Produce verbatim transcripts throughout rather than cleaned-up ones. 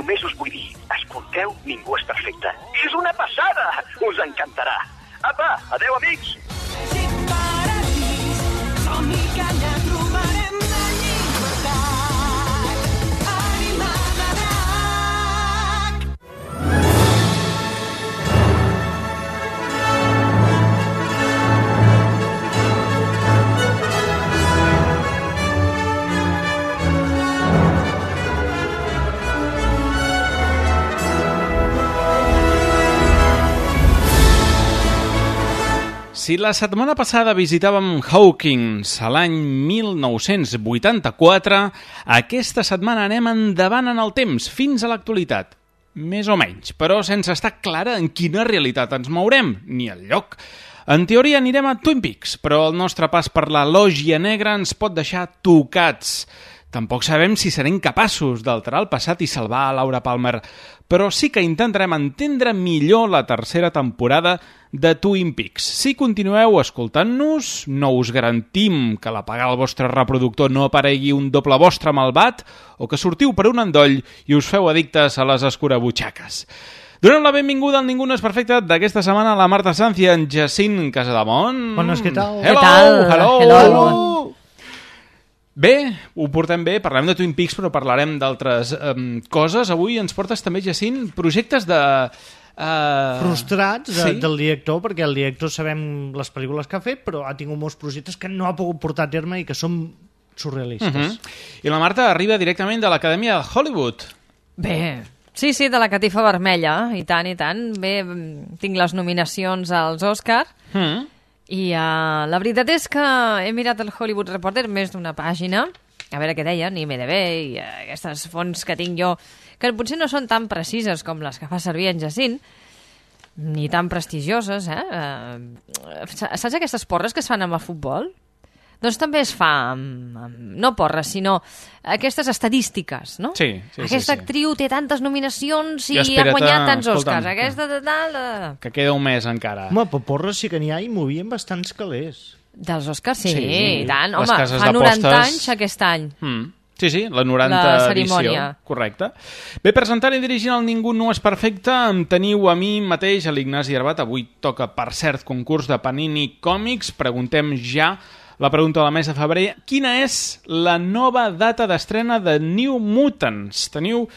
només us vull dir, escolteu Ningú és perfecte. És una passada! Us encantarà. Apa, adeu, amics! Som-hi que allà trobarem la llibertat. Animada drac! Si la setmana passada visitàvem Hawkins a l'any mil nou-cents vuitanta-quatre, aquesta setmana anem endavant en el temps, fins a l'actualitat. Més o menys, però sense estar clara en quina realitat ens mourem, ni el lloc. En teoria anirem a Twin Peaks, però el nostre pas per la lògia negra ens pot deixar tocats. Tampoc sabem si serem capaços d'alterar el passat i salvar a Laura Palmer, però sí que intentarem entendre millor la tercera temporada de Twin Peaks. Si continueu escoltant-nos, no us garantim que l'apagar el vostre reproductor no aparegui un doble vostre malvat o que sortiu per un endoll i us feu addictes a les escurabutxaques. Donem la benvinguda al Ningú no és perfecte d'aquesta setmana a la Marta Sanz i en Jacint Casademont. Bones, què tal? Hello, què tal? hello, hello. hello. Bé, ho portem bé, parlarem de Twin Peaks, però parlarem d'altres um, coses. Avui ens portes també, Jacint, projectes de... Uh... frustrats de, sí? del director, perquè el director sabem les pel·lícules que ha fet, però ha tingut molts projectes que no ha pogut portar a terme i que són surrealistes. Uh -huh. I la Marta arriba directament de l'Acadèmia de Hollywood. Bé, sí, sí, de la catifa vermella, i tant, i tant. Bé, tinc les nominacions als Òscar, Mm. i uh, la veritat és que he mirat el Hollywood Reporter més d'una pàgina, a veure què deien, i I M D B, i uh, aquestes fonts que tinc jo, que potser no són tan precises com les que fa servir en Jacint, ni tan prestigioses, eh? Uh, saps aquestes porres que es fan amb el futbol? Doncs també es fa amb, amb, no porres, sinó aquestes estadístiques, no? Sí, sí, Aquesta sí, sí. actriu té tantes nominacions i, I ha espera't, guanyat tants escolta'm, Oscars. Aquesta de tal... De... Que queda un mes encara. Home, però porres sí que n'hi ha i movien bastants calés. Dels Oscars, sí, Sí, i tant. les Home, cases fa noranta d'apostes- anys aquest any. Mm. Sí, sí, la noranta La cerimònia. edició. Correcte. Bé, presentant i dirigint el Ningú no és perfecte, em teniu a mi mateix, a l'Ignasi Arbat. Avui toca, per cert, concurs de Panini Còmics. Preguntem ja la pregunta de la mes de febrer. Quina és la nova data d'estrena de New Mutants? Teniu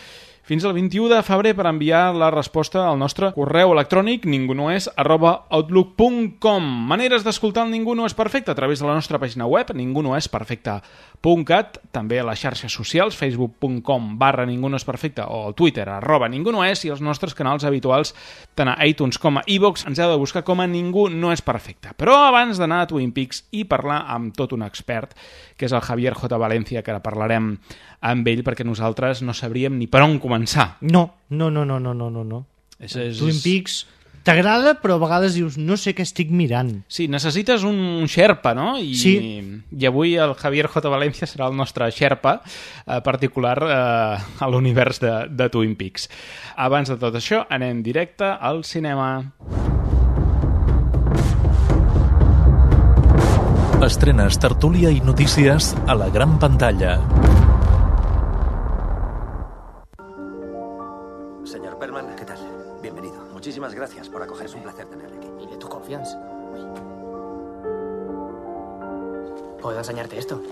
fins al vint-i-u de febrer per enviar la resposta al nostre correu electrònic ningunoes arroba outlook punt com. Maneres d'escoltar el Ningú no és perfecte a través de la nostra pàgina web ningunoesperfecte punt cat, també a les xarxes socials facebook punt com barra ningú no és perfecte o al Twitter arroba ningú no és, i els nostres canals habituals tant a iTunes com a iVoox ens heu de buscar com a Ningú no és perfecte. Però abans d'anar a Twin Peaks i parlar amb tot un expert, que és el Javier J. Valencia, que ara parlarem amb ell perquè nosaltres no sabríem ni per on començar. No, no, no, no, no, no, no. no. És, és... Twin Peaks t'agrada, però a vegades dius, no sé què estic mirant. Sí, necessites un xerpa, no? I, Sí. I avui el Javier J. Valencia serà el nostre xerpa eh, particular eh, a l'univers de, de Twin Peaks. Abans de tot això, anem directe al cinema. Estrenes, tertúlia i notícies a la gran pantalla. Señor Perlman, ¿qué tal? Bienvenido. Muchísimas gracias por acoger. Es un placer tenerle aquí. Y de tu confianza. ¿Puedo enseñarte esto?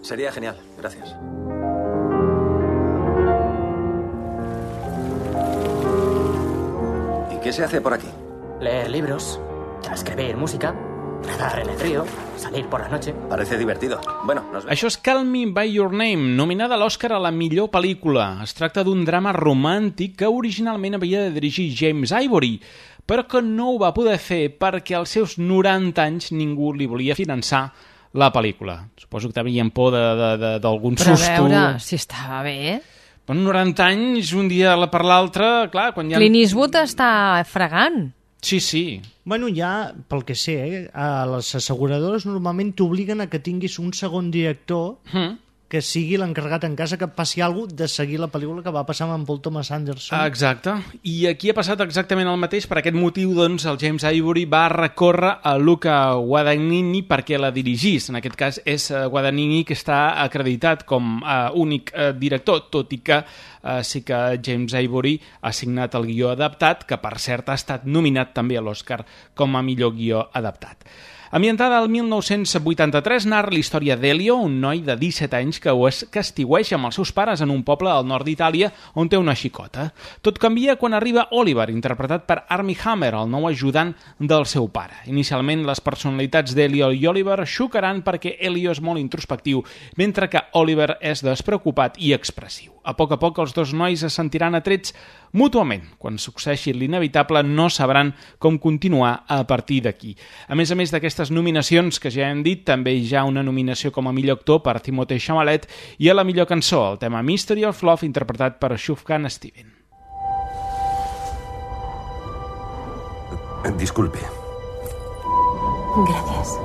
Sería genial. Gracias. ¿Y qué se hace por aquí? Leer libros, transcribir música, nadar en el río, salir por la noche. Parece divertido. Bueno, nos vemos. Això és Call Me By Your Name, nominada a l'Oscar a la millor pel·lícula. Es tracta d'un drama romàntic que originalment havia de dirigir James Ivory, però que no ho va poder fer perquè als seus noranta anys ningú li volia finançar la pel·lícula. Suposo que tenien por d'algun Però a susto. veure si estava bé. Però noranta anys, un dia per l'altre, clar, quan ja... Clint Eastwood està fregant. Sí, sí. Bueno, ja, pel que sé, eh, a les asseguradores normalment t'obliguen a que tinguis un segon director Mm. que sigui l'encarregat en casa que passi alguna cosa de seguir la pel·lícula que va passar amb Paul Thomas Anderson. Exacte. I aquí ha passat exactament el mateix. Per aquest motiu, doncs, el James Ivory va recórrer a Luca Guadagnini perquè la dirigís. En aquest cas és Guadagnini, que està acreditat com a únic eh, director, tot i que eh, sí que James Ivory ha signat el guió adaptat, que per cert ha estat nominat també a l'Oscar com a millor guió adaptat. Ambientada al mil nou-cents vuitanta-tres, narra la història d'Elio, un noi de disset anys que que estiueix amb els seus pares en un poble al nord d'Itàlia on té una xicota. Tot canvia quan arriba Oliver, interpretat per Armie Hammer, el nou ajudant del seu pare. Inicialment, les personalitats d'Elio i Oliver xocaran perquè Elio és molt introspectiu, mentre que Oliver és despreocupat i expressiu. A poc a poc, els dos nois es sentiran atrets mútuament. Quan succeeixi l'inevitable, no sabran com continuar a partir d'aquí. A més a més d'aquestes nominacions que ja hem dit, també hi ha una nominació com a millor actor per Timothée Chalamet i a la millor cançó, el tema Mystery of Love, interpretat per Sufjan Stevens. Disculpe. Gracias.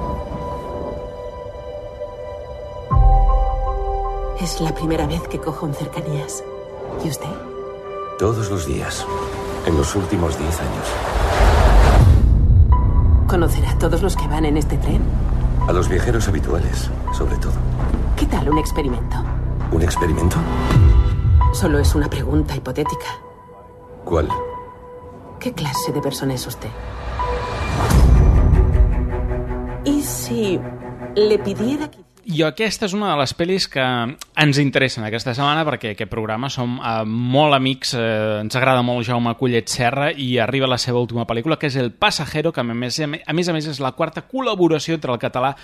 Es la primera vez que cojo en cercanías. ¿Y usted? Todos los días. En los últimos diez años. ¿Conocerá a todos los que van en este tren? A los viajeros habituales, sobre todo. ¿Qué tal un experimento? ¿Un experimento? Solo es una pregunta hipotética. ¿Cuál? ¿Qué clase de persona es usted? ¿Y si le pidiera que... I aquesta és una de les pel·lis que ens interessen aquesta setmana perquè aquest programa som eh, molt amics, eh, ens agrada molt Jaume Collet Serra i arriba la seva última pel·lícula, que és El Pasajero, que a més a més, a més és la quarta col·laboració entre el català,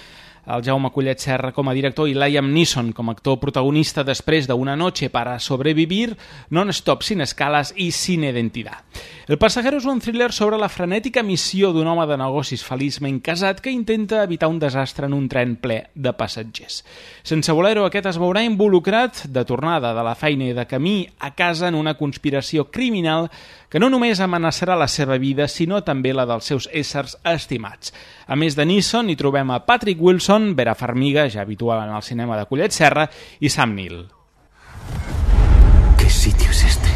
el Jaume Collet Serra com a director i Liam Neeson com a actor protagonista després d'Una noche para sobrevivir, Non-stop, sin escales i sin identidad. El Pasajero és un thriller sobre la frenètica missió d'un home de negocis feliçment casat que intenta evitar un desastre en un tren ple de passatgers. Sense voler-ho, aquest es veurà involucrat de tornada de la feina i de camí a casa en una conspiració criminal que no només amenaçarà la seva vida, sinó també la dels seus éssers estimats. A més de Neeson, hi trobem a Patrick Wilson, Vera Farmiga, ja habitual en el cinema de Collet Serra, i Sam Neill. ¿Qué sitio es este?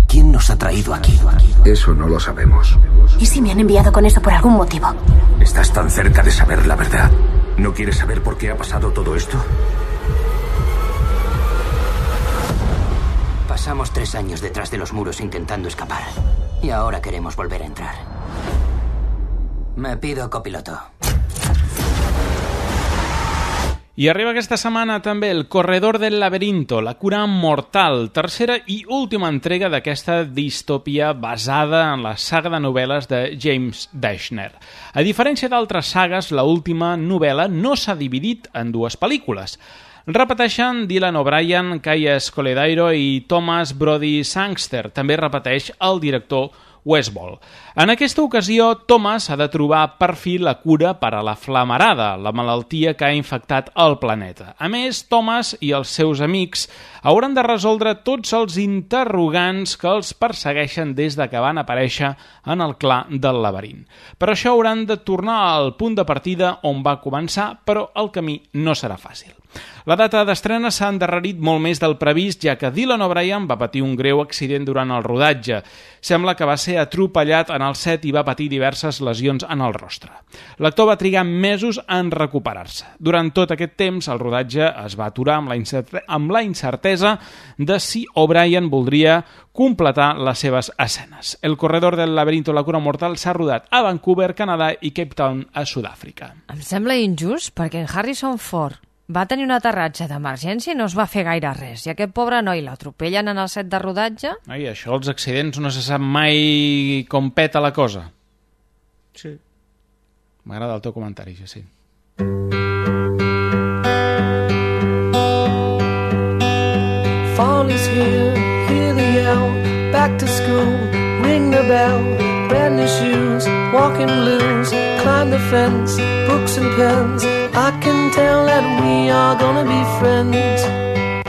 ¿Quién nos ha traído aquí? Eso no lo sabemos. ¿Y si me han enviado con eso por algún motivo? Estás tan cerca de saber la verdad. ¿No quieres saber por qué ha pasado todo esto? Pasamos tres años detrás de los muros intentando escapar. Y ahora queremos volver a entrar. Me pido copiloto. I arriba aquesta setmana també El corredor del laberinto, la cura mortal, tercera i última entrega d'aquesta distòpia basada en la saga de novel·les de James Dashner. A diferència d'altres sagues, la última novel·la no s'ha dividit en dues pel·lícules. Repeteixen Dylan O'Brien, Kaya Scodelario i Thomas Brody Sangster. També repeteix el director Westball. En aquesta ocasió, Thomas ha de trobar per fi la cura per a la flamarada, la malaltia que ha infectat el planeta. A més, Thomas i els seus amics hauran de resoldre tots els interrogants que els persegueixen des de que van aparèixer en el clar del laberint. Per això hauran de tornar al punt de partida on va començar, però el camí no serà fàcil. La data d'estrena s'ha endarrerit molt més del previst, ja que Dylan O'Brien va patir un greu accident durant el rodatge. Sembla que va ser atropellat en el set i va patir diverses lesions en el rostre. L'actor va trigar mesos en recuperar-se. Durant tot aquest temps, el rodatge es va aturar amb la, incert- amb la incertesa de si O'Brien voldria completar les seves escenes. El corredor del laberinto, la cura mortal, s'ha rodat a Vancouver, Canadà i Cape Town, a Sud-àfrica. Em sembla injust perquè en Harrison Ford va tenir un aterratge d'emergència i no es va fer gaire res. I aquest pobre noi l'atropellen en el set de rodatge. Ai, això, els accidents, no se sap mai com peta la cosa. Sí. M'agrada el teu comentari, ja sí. Fall is here, hear the yell, back to school, ring the bell, brand new shoes, walking blues, climb the fence, books and pens, I can tell that we are gonna be friends.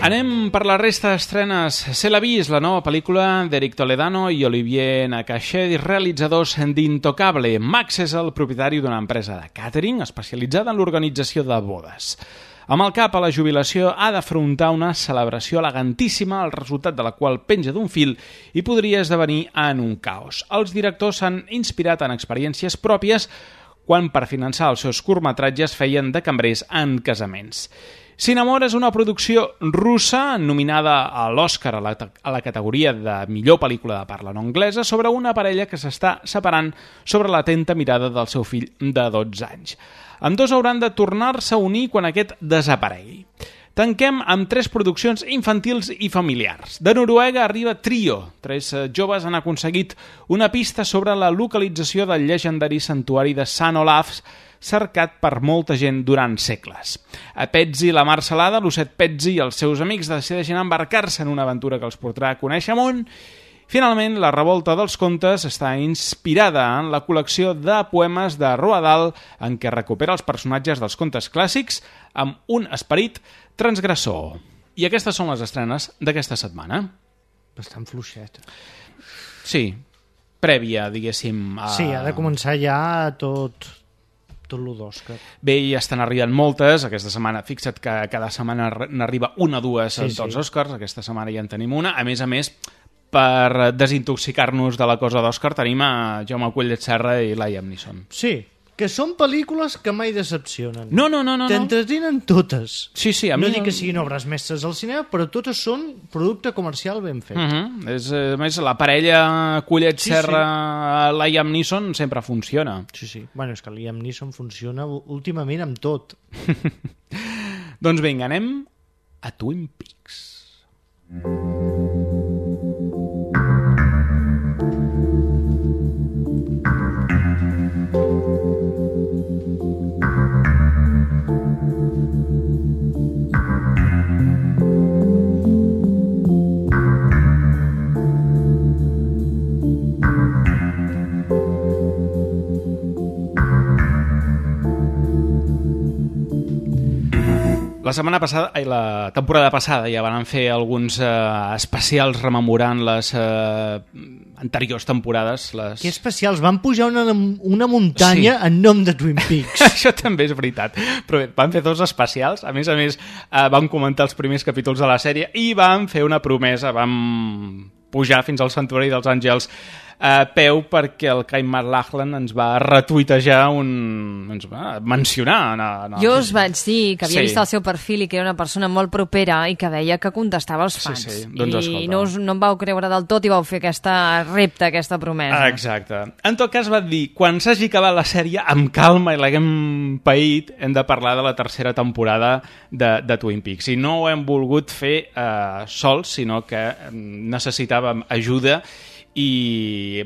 Anem per la resta d'estrenes. Se l'ha vist, la nova pel·lícula d'Eric Toledano i Olivier Nakache, realitzadors d'Intocable. Max és el propietari d'una empresa de càtering especialitzada en l'organització de bodes. Amb el cap a la jubilació ha d'afrontar una celebració elegantíssima, el resultat de la qual penja d'un fil i podria esdevenir en un caos. Els directors s'han inspirat en experiències pròpies quan per finançar els seus curtmetratges feien de cambrers en casaments. Cinnamon és una producció russa nominada a l'Oscar a la, a la categoria de millor pel·lícula de parla no anglesa sobre una parella que s'està separant sobre l'atenta mirada del seu fill de dotze anys. Ambdós hauran de tornar-se a unir quan aquest desaparegui. Tanquem amb tres produccions infantils i familiars. De Noruega arriba Trio. Tres joves han aconseguit una pista sobre la localització del llegendari santuari de Sant Olafs, cercat per molta gent durant segles. A Pezzi, la mar salada, l'osset Pezzi i els seus amics decideixen embarcar-se en una aventura que els portarà a conèixer món. Finalment, La revolta dels contes està inspirada en la col·lecció de poemes de Roald Dahl, en què recupera els personatges dels contes clàssics amb un esperit transgressor. I aquestes són les estrenes d'aquesta setmana. Bastant fluixet. Sí, prèvia, diguéssim. A... Sí, ha de començar ja tot... tot lo d'Òscar. Bé, ja estan arribant moltes. Aquesta setmana, fixa't que cada setmana n'arriba una o dues sí, dels sí. Oscars. Aquesta setmana ja en tenim una. A més a més, per desintoxicar-nos de la cosa d'Òscar, tenim a Jaume Collet Serra i Liam Neeson. Sí, que són pel·lícules que mai decepcionen. No, no, no. no T'entretenen totes. Sí, sí. A no mi... dic que siguin obres mestres al cinema, però totes són producte comercial ben fet. Uh -huh. És, a més, la parella Collet sí, Serra sí. Liam Neeson sempre funciona. Sí, sí. Bueno, és que Liam Neeson funciona últimament amb tot. Doncs vinga, anem a Twin Peaks. La setmana passada, ai, la temporada passada ja van fer alguns eh, especials rememorant les eh, anteriors temporades. Les... Que especials? Van pujar una, una muntanya sí. en nom de Twin Peaks. Això també és veritat. Però bé, van fer dos especials. A més a més, eh, van comentar els primers capítols de la sèrie i van fer una promesa. Vam pujar fins al Santuari dels Àngels a peu perquè el Kyle MacLachlan ens va retuitejar un... ens va mencionar. No, no. Jo us vaig dir que havia sí. vist el seu perfil i que era una persona molt propera i que deia que contestava als fans. Sí, sí. Doncs, I no, us, no em vau creure del tot i vau fer aquesta repte, aquesta promesa. Exacte. En tot cas va dir, quan s'hagi acabat la sèrie, amb calma i l'haguem paït, hem de parlar de la tercera temporada de, de Twin Peaks. I no ho hem volgut fer eh, sols, sinó que necessitàvem ajuda i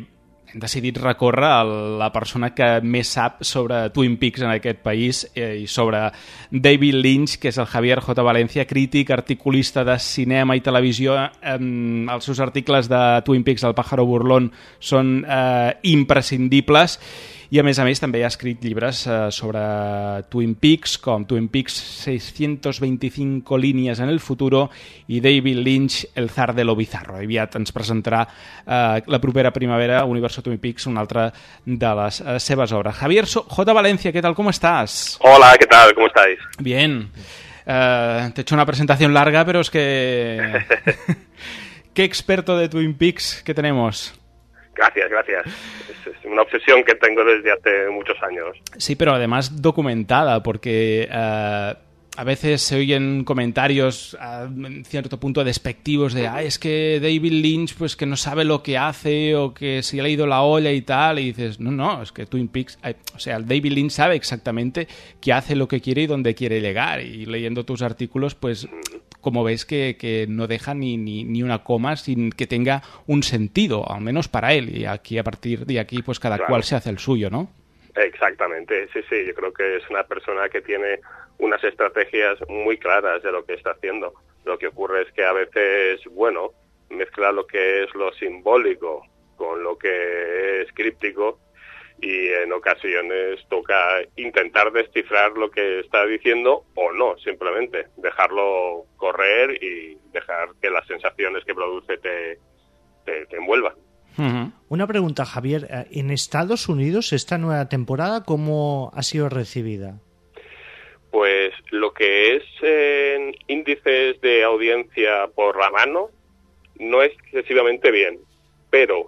hem decidit recórrer a la persona que més sap sobre Twin Peaks en aquest país eh, i sobre David Lynch, que és el Javier J. Valencia, crític, articulista de cinema i televisió. Eh, els seus articles de Twin Peaks, El pájaro burlón, són eh, imprescindibles. I a més a més també ha escrit llibres eh, sobre Twin Peaks, com Twin Peaks seiscientos veinticinco líneas en el futuro i David Lynch, El zar de lo bizarro. Aviat ens presentarà eh, la propera primavera Universo Twin Peaks, una altra de les eh, seves obres. Javier J. Valencia, ¿qué tal? ¿Cómo estás? Hola, ¿qué tal? ¿Cómo estáis? Bien. Eh, te he hecho una presentación larga, pero es que... ¿Qué experto de Twin Peaks que tenemos? Gracias, gracias. Es, es una obsesión que tengo desde hace muchos años. Sí, pero además documentada, porque uh, a veces se oyen comentarios uh, en cierto punto despectivos de ah, es que David Lynch pues que no sabe lo que hace o que se le ha ido la olla y tal, y dices, no, no, es que Twin Peaks, eh, o sea, David Lynch sabe exactamente qué hace, lo que quiere y dónde quiere llegar, y leyendo tus artículos, pues... como ves que, que no deja ni, ni, ni una coma sin que tenga un sentido, al menos para él, y aquí a partir de aquí pues cada claro. cual se hace el suyo, ¿no? Exactamente, sí, sí, yo creo que es una persona que tiene unas estrategias muy claras de lo que está haciendo. Lo que ocurre es que a veces, bueno, mezcla lo que es lo simbólico con lo que es críptico, y en ocasiones toca intentar descifrar lo que está diciendo o no, simplemente dejarlo correr y dejar que las sensaciones que produce te, te, te envuelvan. Uh-huh. Una pregunta, Javier. ¿En Estados Unidos esta nueva temporada cómo ha sido recibida? Pues lo que es en índices de audiencia por la mano no es excesivamente bien, pero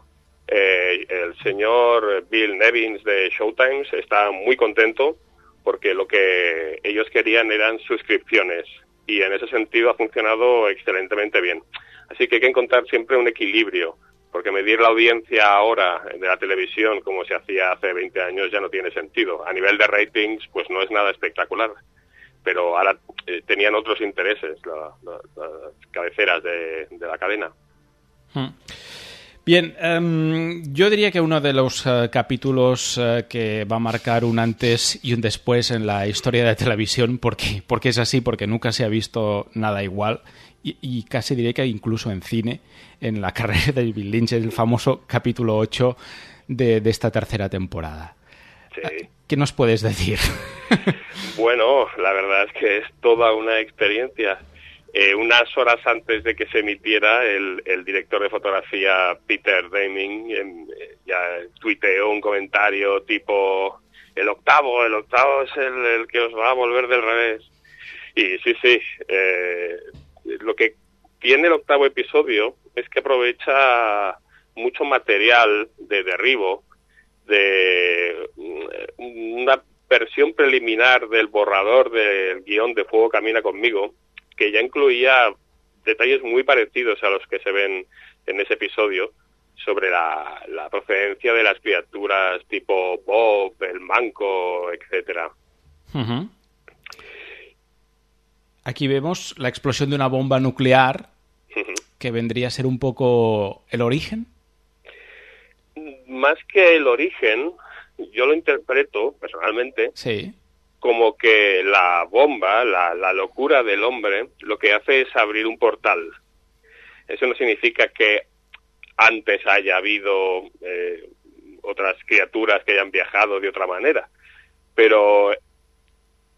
eh, el señor Bill Nevins de Showtime está muy contento porque lo que ellos querían eran suscripciones y en ese sentido ha funcionado excelentemente bien. Así que hay que encontrar siempre un equilibrio, porque medir la audiencia ahora de la televisión como se hacía hace veinte años ya no tiene sentido. A nivel de ratings, pues no es nada espectacular, pero ahora eh, tenían otros intereses la, la, las cabeceras de, de la cadena. Hmm. Bien, um, yo diría que uno de los uh, capítulos uh, que va a marcar un antes y un después en la historia de la televisión, porque, porque es así, porque nunca se ha visto nada igual, y, y casi diría que incluso en cine, en la carrera de David Lynch, es el famoso capítulo ocho de, de esta tercera temporada. Sí. ¿Qué nos puedes decir? Bueno, la verdad es que es toda una experiencia. Eh, unas horas antes de que se emitiera, el, el director de fotografía Peter Deming eh, ya tuiteó un comentario tipo el octavo, el octavo es el, el que os va a volver del revés. Y sí, sí, eh, lo que tiene el octavo episodio es que aprovecha mucho material de derribo, de una versión preliminar del borrador del guión de Fuego Camina Conmigo, que ya incluía detalles muy parecidos a los que se ven en ese episodio sobre la, la procedencia de las criaturas tipo Bob, el Manco, etcétera. Uh-huh. Aquí vemos la explosión de una bomba nuclear, uh-huh, que vendría a ser un poco el origen. Más que el origen, yo lo interpreto personalmente, sí, como que la bomba, la, la locura del hombre, lo que hace es abrir un portal. Eso no significa que antes haya habido eh, otras criaturas que hayan viajado de otra manera, pero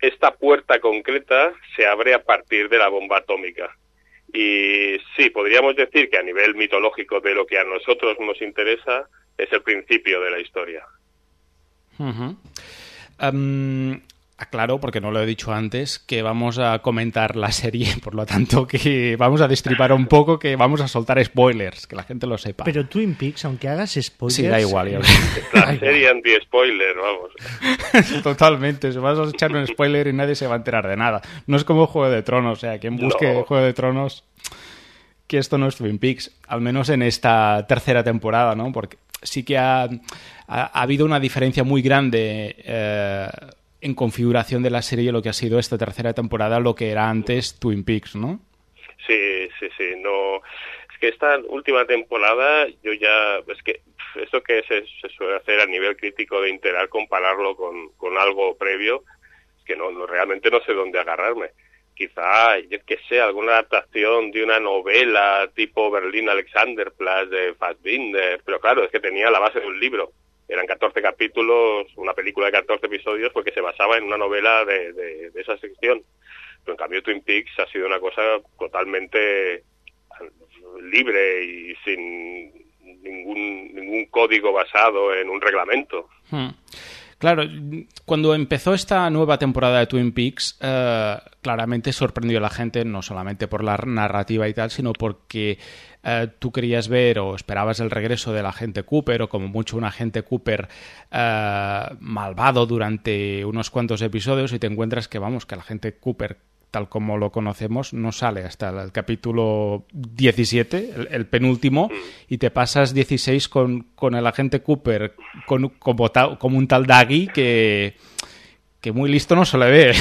esta puerta concreta se abre a partir de la bomba atómica. Y sí, podríamos decir que a nivel mitológico de lo que a nosotros nos interesa es el principio de la historia. Uh-huh. Um... Claro, porque no lo he dicho antes, que vamos a comentar la serie, por lo tanto que vamos a destripar un poco, que vamos a soltar spoilers, que la gente lo sepa. Pero Twin Peaks, aunque hagas spoilers... Sí, da igual. Ya la serie anti-spoiler, vamos. Totalmente, se vas a echar un spoiler y nadie se va a enterar de nada. No es como Juego de Tronos, o sea, quien busque no. Juego de Tronos, que esto no es Twin Peaks, al menos en esta tercera temporada, ¿no? Porque sí que ha, ha, ha habido una diferencia muy grande... Eh, en configuración de la serie lo que ha sido esta tercera temporada, lo que era antes Twin Peaks, ¿no? Sí, sí, sí, no... Es que esta última temporada yo ya... Es que esto que se, se suele hacer a nivel crítico de intentar compararlo con, con algo previo, es que no, no realmente no sé dónde agarrarme. Quizá, yo que sé, alguna adaptación de una novela tipo Berlín Alexanderplatz de Fassbinder, pero claro, es que tenía la base de un libro. Eran catorce capítulos, una película de catorce episodios, porque se basaba en una novela de, de, de esa sección. Pero en cambio Twin Peaks ha sido una cosa totalmente libre y sin ningún, ningún código basado en un reglamento. Hmm. Claro, cuando empezó esta nueva temporada de Twin Peaks, eh, claramente sorprendió a la gente, no solamente por la narrativa y tal, sino porque eh, tú querías ver o esperabas el regreso del agente Cooper, o como mucho un agente Cooper eh, malvado durante unos cuantos episodios, y te encuentras que, vamos, que el agente Cooper, tal como lo conocemos, no sale hasta el capítulo diecisiete, el, el penúltimo, y te pasas dieciséis con, con el agente Cooper con, como, ta, como un tal Daggy que, que muy listo no se le ve.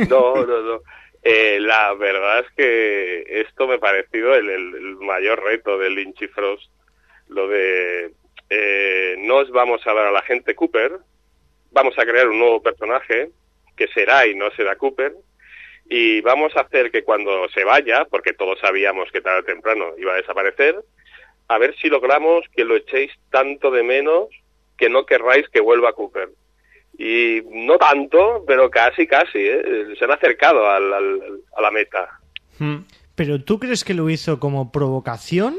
No, no, no. Eh, la verdad es que esto me ha parecido el, el, el mayor reto de Lynch y Frost, lo de eh, no os vamos a dar al agente Cooper, vamos a crear un nuevo personaje que será y no será Cooper, y vamos a hacer que cuando se vaya, porque todos sabíamos que tarde o temprano iba a desaparecer, a ver si logramos que lo echéis tanto de menos que no querráis que vuelva Cooper. Y no tanto, pero casi, casi, ¿eh? Se han acercado al, al, a la meta. ¿Pero tú crees que lo hizo como provocación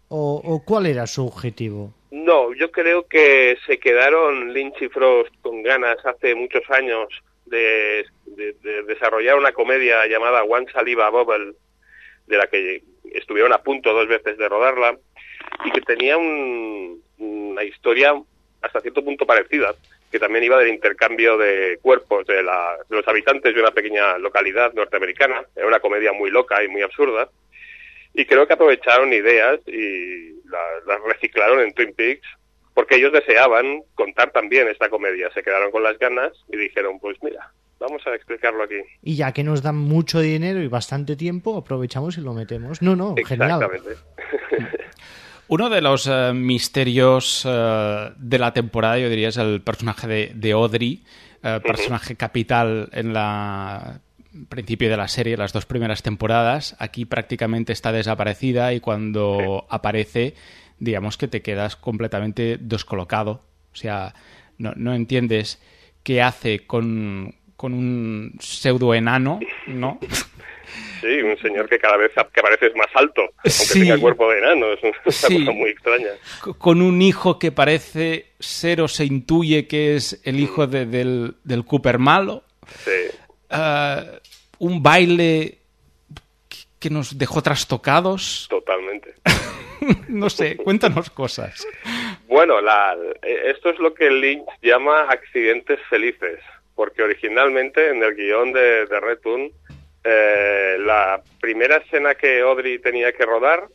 o, o cuál era su objetivo? No, yo creo que se quedaron Lynch y Frost con ganas hace muchos años de, de, de desarrollar una comedia llamada One Saliva Bubble, de la que estuvieron a punto dos veces de rodarla, y que tenía un, una historia hasta cierto punto parecida, que también iba del intercambio de cuerpos de, la, de los habitantes de una pequeña localidad norteamericana. Era una comedia muy loca y muy absurda, y creo que aprovecharon ideas y las, las reciclaron en Twin Peaks, porque ellos deseaban contar también esta comedia. Se quedaron con las ganas y dijeron, pues mira, vamos a explicarlo aquí. Y ya que nos dan mucho dinero y bastante tiempo, aprovechamos y lo metemos. No, no, genial. Exactamente. Uno de los uh, misterios uh, de la temporada, yo diría, es el personaje de, de Audrey, uh, personaje uh-huh. capital en la principio de la serie, las dos primeras temporadas. Aquí prácticamente está desaparecida y cuando sí. aparece, digamos que te quedas completamente descolocado. O sea, no, no entiendes qué hace con, con un pseudo enano, ¿no? Sí, un señor que cada vez que parece es más alto, aunque sí. tenga cuerpo de enano, es una sí. cosa muy extraña. Con un hijo que parece ser o se intuye que es el hijo de, del, del Cooper malo. Sí. Uh, un baile que nos dejó trastocados. Totalmente. No sé, cuéntanos cosas. Bueno, la, esto es lo que Lynch llama accidentes felices, porque originalmente en el guión de, de Return, Eh, la primera escena que Audrey tenía que rodar,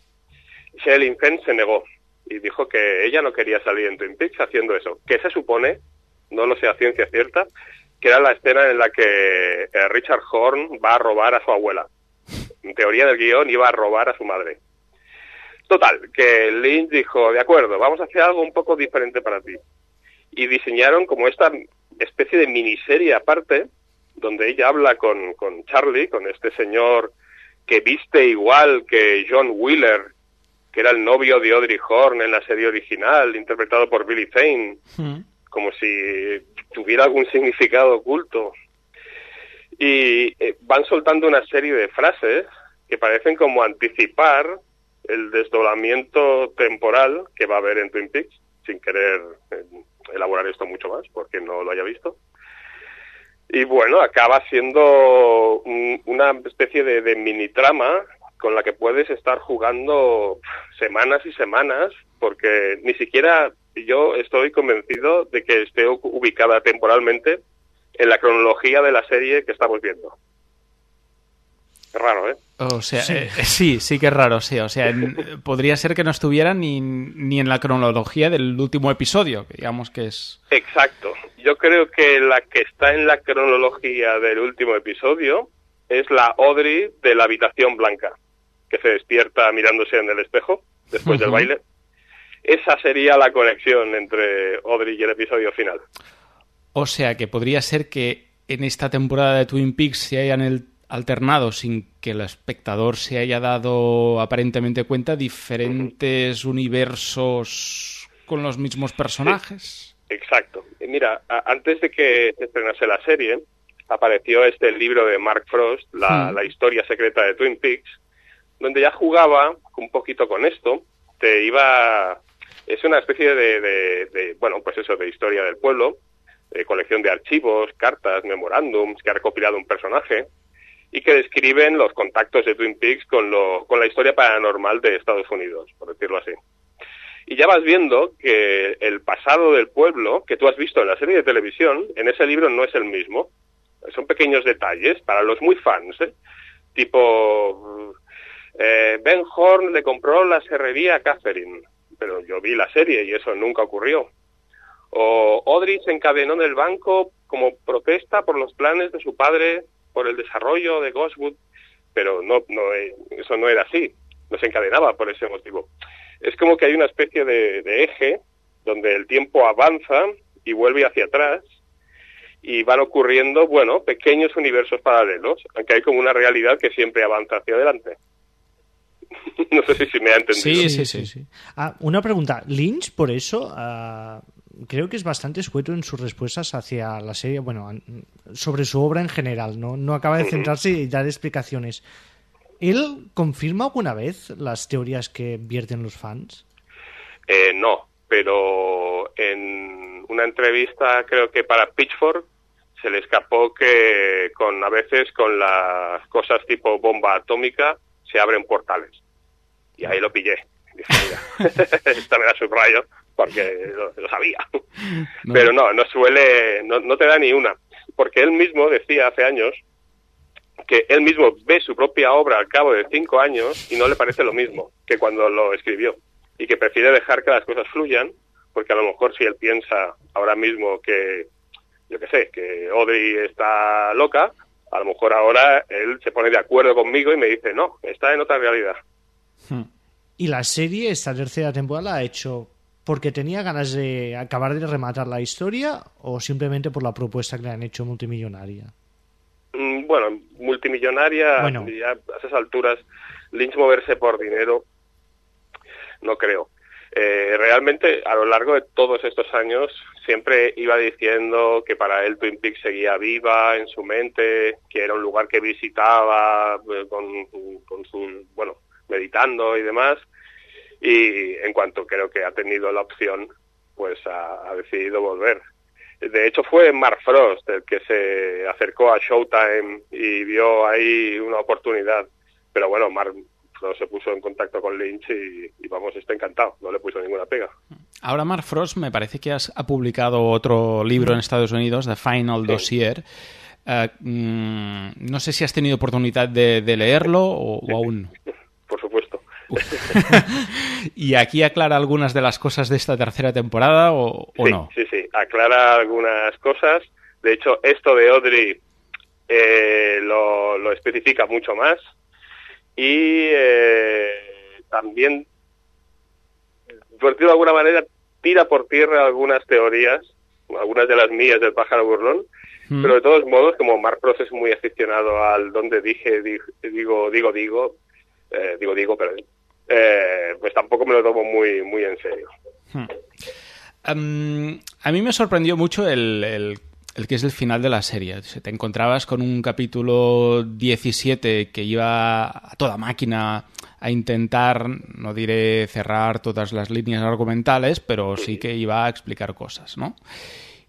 Sherilyn Fenn se negó y dijo que ella no quería salir en Twin Peaks haciendo eso, que se supone, no lo sé a ciencia cierta, que era la escena en la que eh, Richard Horn va a robar a su abuela. En teoría del guión iba a robar a su madre. Total, que Lynch dijo, de acuerdo, vamos a hacer algo un poco diferente para ti. Y diseñaron como esta especie de miniserie aparte, donde ella habla con, con Charlie, con este señor que viste igual que John Wheeler, que era el novio de Audrey Horne en la serie original, interpretado por Billy Zane, mm. como si tuviera algún significado oculto. Y eh, van soltando una serie de frases que parecen como anticipar el desdoblamiento temporal que va a haber en Twin Peaks, sin querer eh, elaborar esto mucho más, porque no lo haya visto. Y bueno, acaba siendo un, una especie de, de mini trama con la que puedes estar jugando semanas y semanas, porque ni siquiera yo estoy convencido de que esté ubicada temporalmente en la cronología de la serie que estamos viendo. Es raro, ¿eh? O sea, sí, eh, sí, sí que es raro, sí. O sea, en, podría ser que no estuviera ni, ni en la cronología del último episodio, que digamos que es... Exacto. Yo creo que la que está en la cronología del último episodio es la Audrey de la habitación blanca, que se despierta mirándose en el espejo después uh-huh. del baile. Esa sería la conexión entre Audrey y el episodio final. O sea, que podría ser que en esta temporada de Twin Peaks se hayan el alternado sin que el espectador se haya dado aparentemente cuenta diferentes uh-huh. universos con los mismos personajes. Sí, exacto. Mira, a- antes de que se estrenase la serie, apareció este libro de Mark Frost, la, uh-huh. la historia secreta de Twin Peaks, donde ya jugaba un poquito con esto. Te iba... Es una especie de, de, de bueno, pues eso, de historia del pueblo, de colección de archivos, cartas, memorándums que ha recopilado un personaje y que describen los contactos de Twin Peaks con, lo, con la historia paranormal de Estados Unidos, por decirlo así. Y ya vas viendo que el pasado del pueblo, que tú has visto en la serie de televisión, en ese libro no es el mismo. Son pequeños detalles para los muy fans, ¿eh? Tipo, eh, Ben Horn le compró la serrería a Catherine, pero yo vi la serie y eso nunca ocurrió. O Audrey se encadenó en el banco como protesta por los planes de su padre por el desarrollo de Ghostwood, pero no, no, eso no era así, no se encadenaba por ese motivo. Es como que hay una especie de, de eje donde el tiempo avanza y vuelve hacia atrás y van ocurriendo, bueno, pequeños universos paralelos, aunque hay como una realidad que siempre avanza hacia adelante. No sé si, si me ha entendido. Sí, sí, sí. sí. Ah, una pregunta. Lynch, por eso, uh, creo que es bastante escueto en sus respuestas hacia la serie, bueno, sobre su obra en general, ¿no? No acaba de centrarse y dar explicaciones. ¿Él confirma alguna vez las teorías que vierten los fans? Eh, no, pero en una entrevista, creo que para Pitchfork, se le escapó que con a veces con las cosas tipo bomba atómica se abren portales. Y ahí lo pillé. Dije, mira, esta me la subrayo porque lo, lo sabía. No. Pero no, no suele, no, no te da ni una. Porque él mismo decía hace años que él mismo ve su propia obra al cabo de cinco años y no le parece lo mismo que cuando lo escribió. Y que prefiere dejar que las cosas fluyan, porque a lo mejor si él piensa ahora mismo que, yo qué sé, que Audrey está loca, a lo mejor ahora él se pone de acuerdo conmigo y me dice, no, está en otra realidad. Hmm. ¿Y la serie, esta tercera temporada, la ha hecho porque tenía ganas de acabar de rematar la historia o simplemente por la propuesta que le han hecho multimillonaria? Mm, bueno, multimillonaria, bueno. Ya a esas alturas, Lynch moverse por dinero, no creo. Eh, realmente, a lo largo de todos estos años, siempre iba diciendo que para él Twin Peaks seguía viva en su mente, que era un lugar que visitaba eh, con, con su, bueno, meditando y demás, y en cuanto creo que ha tenido la opción, pues ha, ha decidido volver. De hecho, fue Mark Frost el que se acercó a Showtime y vio ahí una oportunidad, pero bueno, Mark Frost se puso en contacto con Lynch y, y vamos, está encantado, no le puso ninguna pega. Ahora Mark Frost me parece que has, ha publicado otro libro en Estados Unidos, The Final sí. Dossier. Uh, mmm, no sé si has tenido oportunidad de, de leerlo o, o aún no. Por supuesto. ¿Y aquí aclara algunas de las cosas de esta tercera temporada o, o sí, no? Sí, sí, aclara algunas cosas. De hecho, esto de Audrey eh, lo, lo especifica mucho más. Y eh, también, por decirlo de alguna manera, tira por tierra algunas teorías, algunas de las mías del pájaro burlón, mm. pero de todos modos, como Mark Frost es muy aficionado al donde dije, digo, digo, digo, digo, eh, digo, digo, perdón, eh, pues tampoco me lo tomo muy, muy en serio. Hmm. Um, a mí me sorprendió mucho el, el, el que es el final de la serie. Te encontrabas con un capítulo diecisiete que iba a toda máquina a intentar, no diré cerrar todas las líneas argumentales, pero sí que iba a explicar cosas, ¿no?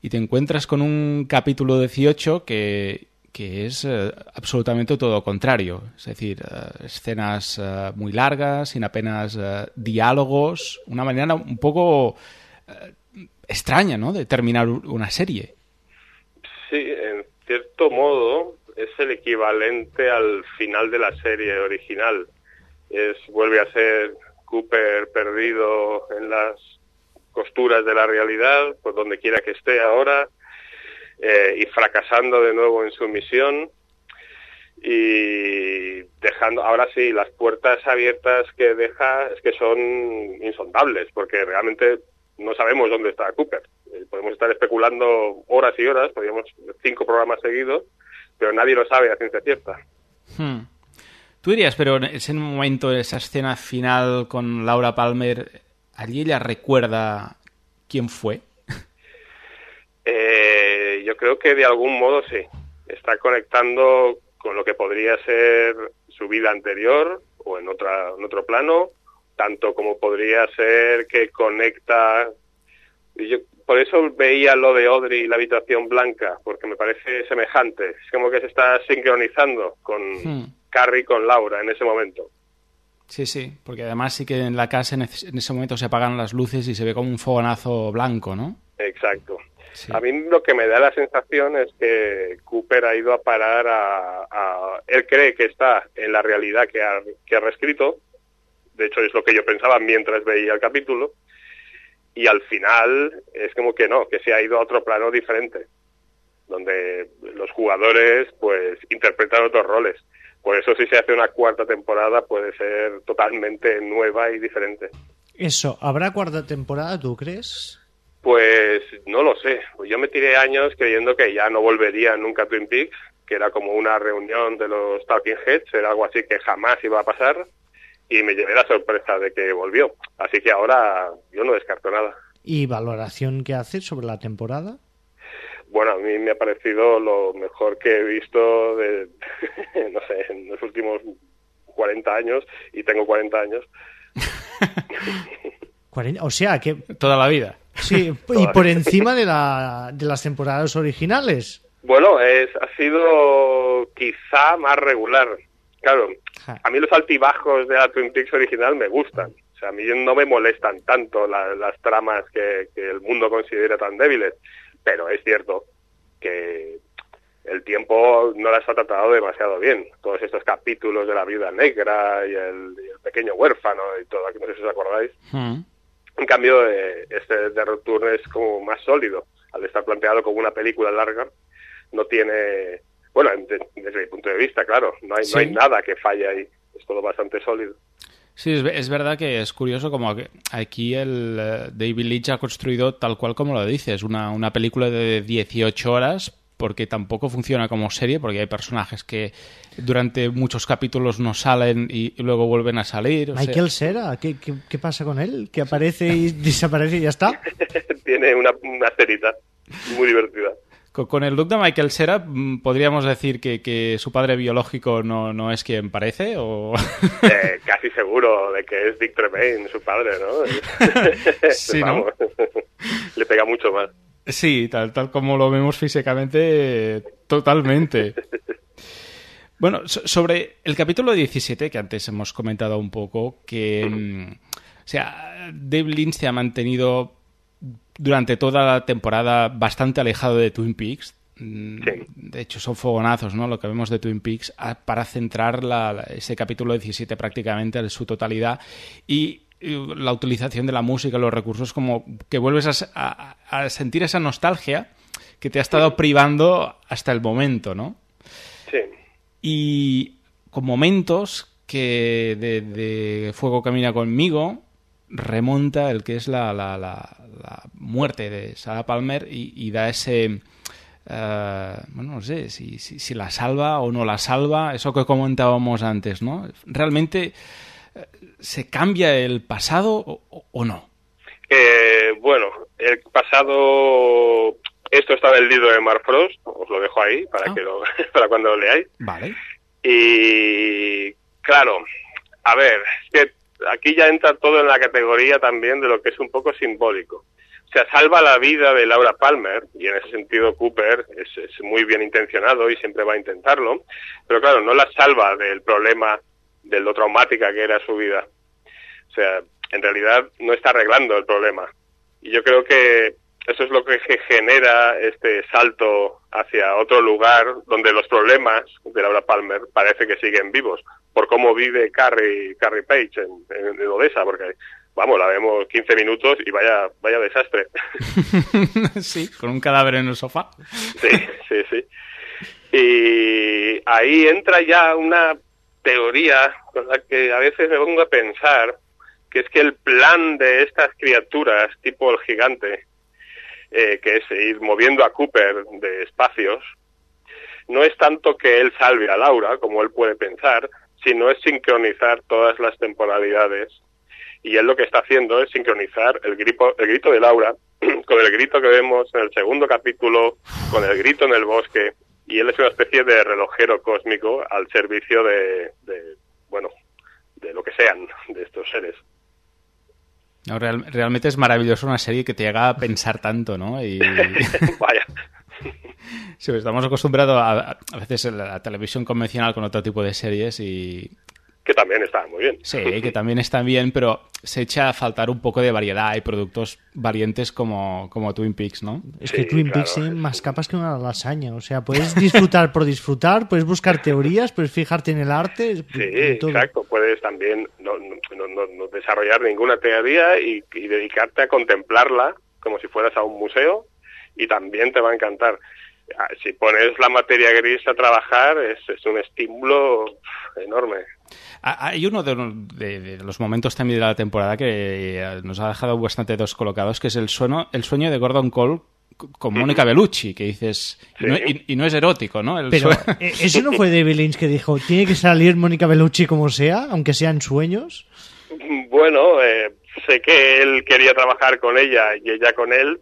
Y te encuentras con un capítulo dieciocho que... que es eh, absolutamente todo lo contrario. Es decir, eh, escenas eh, muy largas, sin apenas eh, diálogos, una manera un poco eh, extraña, ¿no?, de terminar una serie. Sí, en cierto modo es el equivalente al final de la serie original. Es vuelve a ser Cooper perdido en las costuras de la realidad, por donde quiera que esté ahora, Eh, y fracasando de nuevo en su misión y dejando, ahora sí, las puertas abiertas que deja es que son insondables, porque realmente no sabemos dónde está Cooper. Eh, podemos estar especulando horas y horas, podríamos cinco programas seguidos, pero nadie lo sabe a ciencia cierta. Hmm. Tú dirías, pero en ese momento, esa escena final con Laura Palmer, ¿allí ella recuerda quién fue? Eh, yo creo que de algún modo sí. Está conectando con lo que podría ser su vida anterior o en otra en otro plano, tanto como podría ser que conecta. Y yo por eso veía lo de Audrey y la habitación blanca, porque me parece semejante. Es como que se está sincronizando con hmm. Carrie, con Laura en ese momento. Sí, sí, porque además sí que en la casa en ese momento se apagan las luces y se ve como un fogonazo blanco, ¿no? Exacto. Sí. A mí lo que me da la sensación es que Cooper ha ido a parar a, a... Él cree que está en la realidad que ha, que ha reescrito. De hecho, es lo que yo pensaba mientras veía el capítulo. Y al final es como que no, que se ha ido a otro plano diferente, donde los jugadores pues interpretan otros roles. Por eso si se hace una cuarta temporada puede ser totalmente nueva y diferente. Eso, ¿habrá cuarta temporada, tú crees? Pues no lo sé. Yo me tiré años creyendo que ya no volvería nunca a Twin Peaks, que era como una reunión de los Talking Heads, era algo así que jamás iba a pasar, y me llevé la sorpresa de que volvió. Así que ahora yo no descarto nada. ¿Y valoración que haces sobre la temporada? Bueno, a mí me ha parecido lo mejor que he visto de, no sé, en los últimos cuarenta años, y tengo cuarenta años. O sea, que... Toda la vida. Sí, y por encima de, la, de las temporadas originales. Bueno, es, ha sido quizá más regular. Claro, a mí los altibajos de la Twin Peaks original me gustan. O sea, a mí no me molestan tanto la, las tramas que, que el mundo considera tan débiles, pero es cierto que el tiempo no las ha tratado demasiado bien. Todos estos capítulos de la viuda negra y el, y el pequeño huérfano y todo, no sé si os acordáis. Mm. En cambio, eh, este The Return es como más sólido. Al estar planteado como una película larga, no tiene... Bueno, desde mi punto de vista, claro, no hay, sí. no hay nada que falle ahí. Es todo bastante sólido. Sí, es, es verdad que es curioso como que aquí el uh, David Lynch ha construido tal cual como lo dices, una, una película de dieciocho horas, porque tampoco funciona como serie, porque hay personajes que durante muchos capítulos no salen y, y luego vuelven a salir. O Michael sea... Cera, ¿qué, qué, ¿qué pasa con él? ¿Que aparece y desaparece y ya está? Tiene una, una cerita muy divertida. Con, con el look de Michael Cera, ¿podríamos decir que, que su padre biológico no, no es quien parece? O... Eh, casi seguro de que es Dick Tremaine, su padre, ¿no? Sí, Vamos, ¿no? Le pega mucho más. Sí, tal, tal como lo vemos físicamente, totalmente. Bueno, so, sobre el capítulo diecisiete, que antes hemos comentado un poco, que, mm. o sea, David Lynch se ha mantenido durante toda la temporada bastante alejado de Twin Peaks. Sí. De hecho, son fogonazos, ¿no? Lo que vemos de Twin Peaks para centrar la, la, ese capítulo diecisiete prácticamente en su totalidad y la utilización de la música, los recursos, como que vuelves a, a, a sentir esa nostalgia que te ha estado privando hasta el momento, ¿no? Sí. Y con momentos que de, de Fuego camina conmigo remonta el que es la, la, la, la muerte de Sarah Palmer y, y da ese... Uh, bueno, no sé si, si, si la salva o no la salva, eso que comentábamos antes, ¿no? Realmente... ¿se cambia el pasado o, o no? Eh, bueno, el pasado... Esto está en el libro de Mark Frost, os lo dejo ahí para, ah. que lo, para cuando lo leáis. Vale. Y claro, a ver, es que aquí ya entra todo en la categoría también de lo que es un poco simbólico. O sea, salva la vida de Laura Palmer, y en ese sentido Cooper es, es muy bien intencionado y siempre va a intentarlo, pero claro, no la salva del problema de lo traumática que era su vida. O sea, en realidad no está arreglando el problema. Y yo creo que eso es lo que genera este salto hacia otro lugar donde los problemas de Laura Palmer parece que siguen vivos, por cómo vive Carrie, Carrie Page en, en, en Odessa, porque, vamos, la vemos quince minutos y vaya vaya desastre. Sí, con un cadáver en el sofá. Sí, sí, sí. Y ahí entra ya una teoría con la que a veces me pongo a pensar, que es que el plan de estas criaturas tipo el gigante, eh, que es ir moviendo a Cooper de espacios, no es tanto que él salve a Laura, como él puede pensar, sino es sincronizar todas las temporalidades. Y él lo que está haciendo es sincronizar el grito, el grito de Laura con el grito que vemos en el segundo capítulo, con el grito en el bosque. Y él es una especie de relojero cósmico al servicio de, de bueno, de lo que sean, de estos seres. No, real, realmente es maravilloso una serie que te llega a pensar tanto, ¿no? Y... Vaya. Sí, estamos acostumbrados a, a veces a la televisión convencional con otro tipo de series y... Que también están muy bien. Sí, que también están bien, pero se echa a faltar un poco de variedad y productos valientes como, como Twin Peaks, ¿no? Es que sí, Twin claro, Peaks tiene más capas que una lasaña. O sea, puedes disfrutar por disfrutar, puedes buscar teorías, puedes fijarte en el arte. Sí, exacto. Puedes también no, no, no, no desarrollar ninguna teoría y, y dedicarte a contemplarla como si fueras a un museo y también te va a encantar. Si pones la materia gris a trabajar, es, es un estímulo enorme. Hay uno de, de, de los momentos también de la temporada que nos ha dejado bastante descolocados, que es el sueño, el sueño de Gordon Cole con Mónica Bellucci, que dices... Sí. Y, no, y, y no es erótico, ¿no? El Pero, ¿eso no fue David Lynch que dijo, tiene que salir Mónica Bellucci como sea, aunque sean sueños? Bueno, eh, sé que él quería trabajar con ella y ella con él.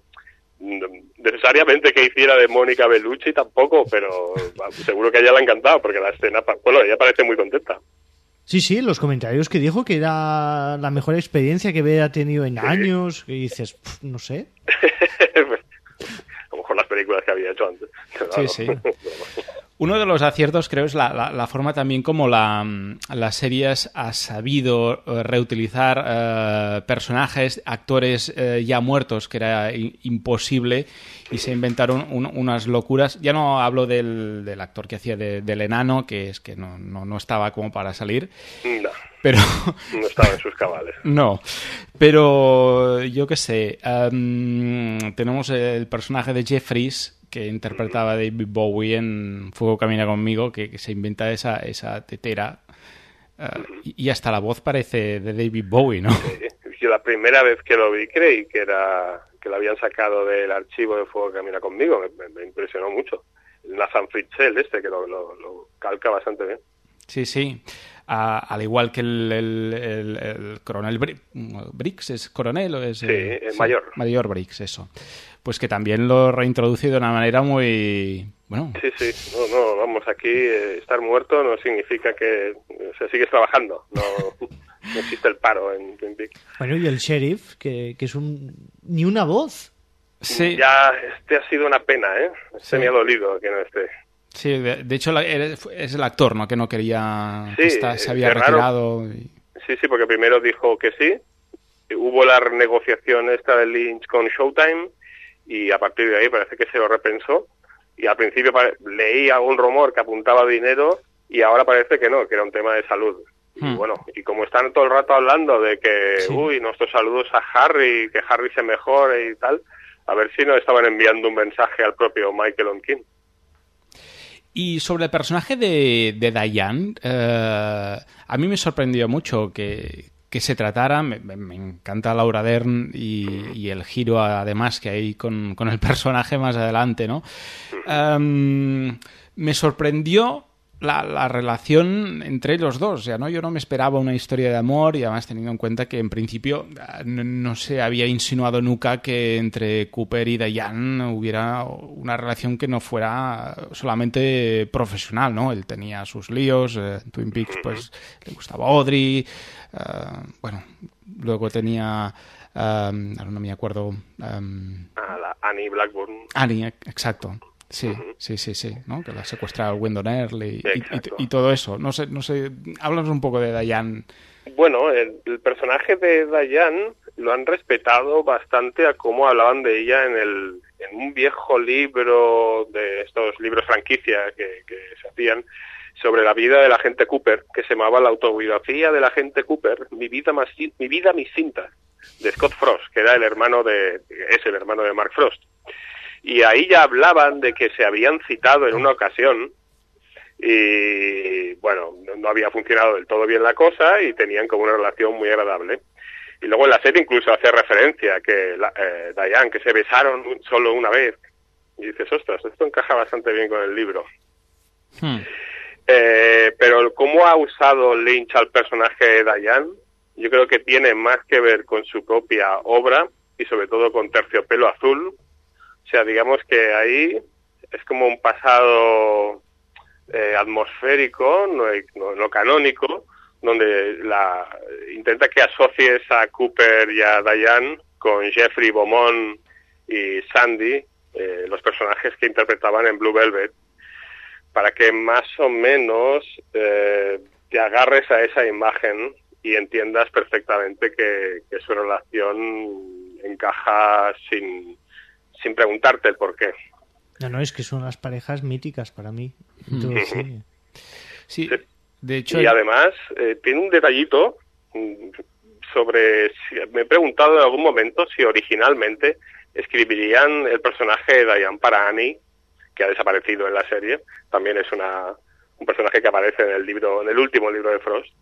Necesariamente que hiciera de Mónica Bellucci tampoco, pero seguro que a ella le ha encantado, porque la escena... Bueno, ella parece muy contenta. Sí, sí, los comentarios que dijo que era la mejor experiencia que había tenido en sí. años, que dices, pff, no sé. A lo mejor las películas que había hecho antes. Sí, sí. Uno de los aciertos, creo, es la, la, la forma también como la, la series ha sabido reutilizar eh, personajes, actores eh, ya muertos, que era i- imposible, y se inventaron un, unas locuras. Ya no hablo del, del actor que hacía de, del enano, que es que no, no, no estaba como para salir. No, pero no estaba en sus cabales. No, pero yo qué sé, um, tenemos el personaje de Jeffries, que interpretaba a David Bowie en Fuego Camina Conmigo, que, que se inventa esa, esa tetera, uh, y, y hasta la voz parece de David Bowie, ¿no? Sí. Yo la primera vez que lo vi creí que era que lo habían sacado del archivo de Fuego Camina Conmigo, me, me impresionó mucho. Nathan Fritzel este, que lo, lo, lo calca bastante bien. Sí, sí. Uh, al igual que el, el, el, el coronel Bri- Briggs, ¿es coronel o es...? Sí, eh, el sí, mayor. Mayor Briggs, eso. Pues que también lo reintroduce de una manera muy... bueno. Sí, sí. No, no, vamos, aquí eh, estar muerto no significa que se sigues trabajando. No, no existe el paro en Twin Peaks. Bueno, y el sheriff, que, que es un... ni una voz. Sí. Ya, este ha sido una pena, ¿eh? Este Sí. me ha dolido que no esté. Sí, de, de hecho la- es el actor, ¿no? Que no quería... Sí, que está- se había es raro. retirado. Y... Sí, sí, porque primero dijo que sí. Hubo la renegociación esta de Lynch con Showtime y a partir de ahí parece que se lo repensó. Y al principio pare- leí algún rumor que apuntaba dinero y ahora parece que no, que era un tema de salud. Y Hmm. bueno, y como están todo el rato hablando de que, Sí. uy, nuestros saludos a Harry, que Harry se mejore y tal, a ver si nos estaban enviando un mensaje al propio Michael O'Keefe. Y sobre el personaje de, de Diane, eh, a mí me sorprendió mucho que, que se tratara, me, me encanta Laura Dern y, y el giro además que hay con, con el personaje más adelante, ¿no? Um, me sorprendió la, la relación entre los dos, o sea, ¿no? Yo no me esperaba una historia de amor y además teniendo en cuenta que en principio no, no se había insinuado nunca que entre Cooper y Diane hubiera una relación que no fuera solamente profesional, ¿no? Él tenía sus líos, eh, Twin Peaks pues le gustaba Audrey, uh, bueno, luego tenía... Um, ahora no me acuerdo... Um, A la Annie Blackburn. Annie, exacto. Sí, uh-huh. sí, sí, sí, ¿no? Que la secuestra Wendell Earle y, y, y todo eso. No sé, no sé, háblanos un poco de Diane. Bueno, el, el personaje de Diane lo han respetado bastante a cómo hablaban de ella en el en un viejo libro de estos libros franquicia que, que se hacían sobre la vida del agente Cooper, que se llamaba La autobiografía del agente Cooper, mi vida más mi vida mis cintas, de Scott Frost, que era el hermano de es el hermano de Mark Frost. Y ahí ya hablaban de que se habían citado en una ocasión y, bueno, no había funcionado del todo bien la cosa y tenían como una relación muy agradable. Y luego en la serie incluso hace referencia que la, eh, Diane, que se besaron solo una vez. Y dices, ostras, esto encaja bastante bien con el libro. Hmm. Eh, pero cómo ha usado Lynch al personaje de Diane, yo creo que tiene más que ver con su propia obra y sobre todo con Terciopelo Azul. O sea, digamos que ahí es como un pasado eh, atmosférico, no, no, no canónico, donde la intenta que asocies a Cooper y a Diane con Jeffrey Beaumont y Sandy, eh, los personajes que interpretaban en Blue Velvet, para que más o menos eh, te agarres a esa imagen y entiendas perfectamente que, que su relación encaja sin... sin preguntarte el por qué. No, no, es que son las parejas míticas para mí. Entonces, sí. Sí, de hecho... Y además, eh, tiene un detallito sobre... Si, me he preguntado en algún momento si originalmente escribirían el personaje de Diane para Annie, que ha desaparecido en la serie. También es una un personaje que aparece en el libro, en el último libro de Frost.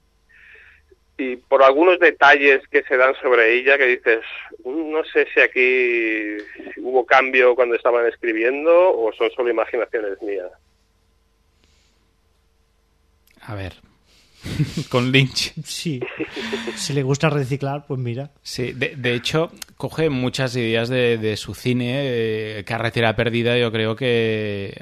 Y por algunos detalles que se dan sobre ella, que dices, no sé si aquí hubo cambio cuando estaban escribiendo o son solo imaginaciones mías. A ver, con Lynch. Sí, si le gusta reciclar, pues mira. Sí, de, de hecho, coge muchas ideas de, de su cine, eh, Carretera Perdida, yo creo que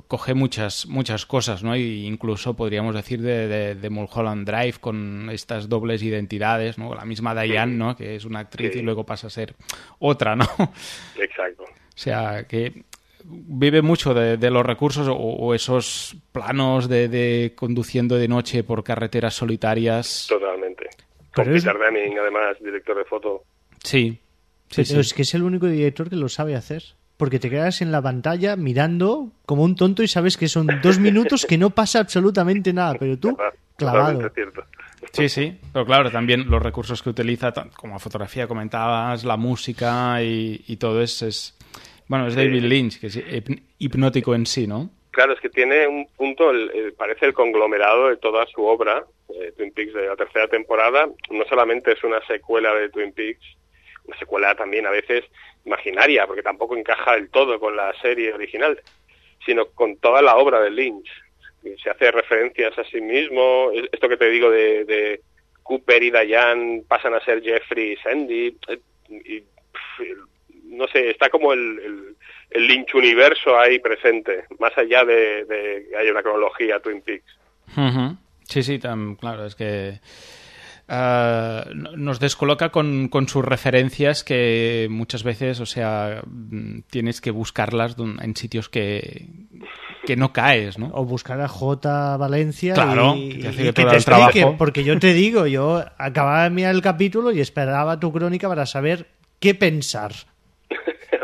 coge muchas muchas cosas, ¿no? Y incluso podríamos decir de, de, de Mulholland Drive con estas dobles identidades, ¿no? La misma Diane, ¿no? Que es una actriz Sí. y luego pasa a ser otra, ¿no? Exacto. O sea, que vive mucho de, de los recursos o, o esos planos de, de conduciendo de noche por carreteras solitarias. Totalmente. Con Pero es- Peter Deming, además, director de foto. Sí, sí, Pero sí. es que es el único director que lo sabe hacer. Porque te quedas en la pantalla mirando como un tonto y sabes que son dos minutos que no pasa absolutamente nada, pero tú clavado. Totalmente cierto. Sí, sí, pero claro, también los recursos que utiliza, tan- como fotografía comentabas, la música y, y todo eso es... Bueno, es Sí. David Lynch, que es hip- hipnótico en sí, ¿no? Claro, es que tiene un punto, el- el- parece el conglomerado de toda su obra, eh, Twin Peaks de la tercera temporada. No solamente es una secuela de Twin Peaks, una secuela también a veces imaginaria, porque tampoco encaja del todo con la serie original, sino con toda la obra de Lynch. Se hace referencias a sí mismo, es- esto que te digo de, de Cooper y Diane pasan a ser Jeffrey y Sandy, eh, y, pf, no sé, está como el, el, el Lynch universo ahí presente, más allá de, de que haya una cronología Twin Peaks. Ujú. Sí, sí, tam- claro, es que eh, no- nos descoloca con, con sus referencias que muchas veces, o sea, mm, tienes que buscarlas dun- en sitios que, que no caes, ¿no? O buscar a J. Valencia Claro, y, que te hace y que todo te el explique, trabajo. porque yo te digo, yo acababa de mirar el capítulo y esperaba tu crónica para saber qué pensar.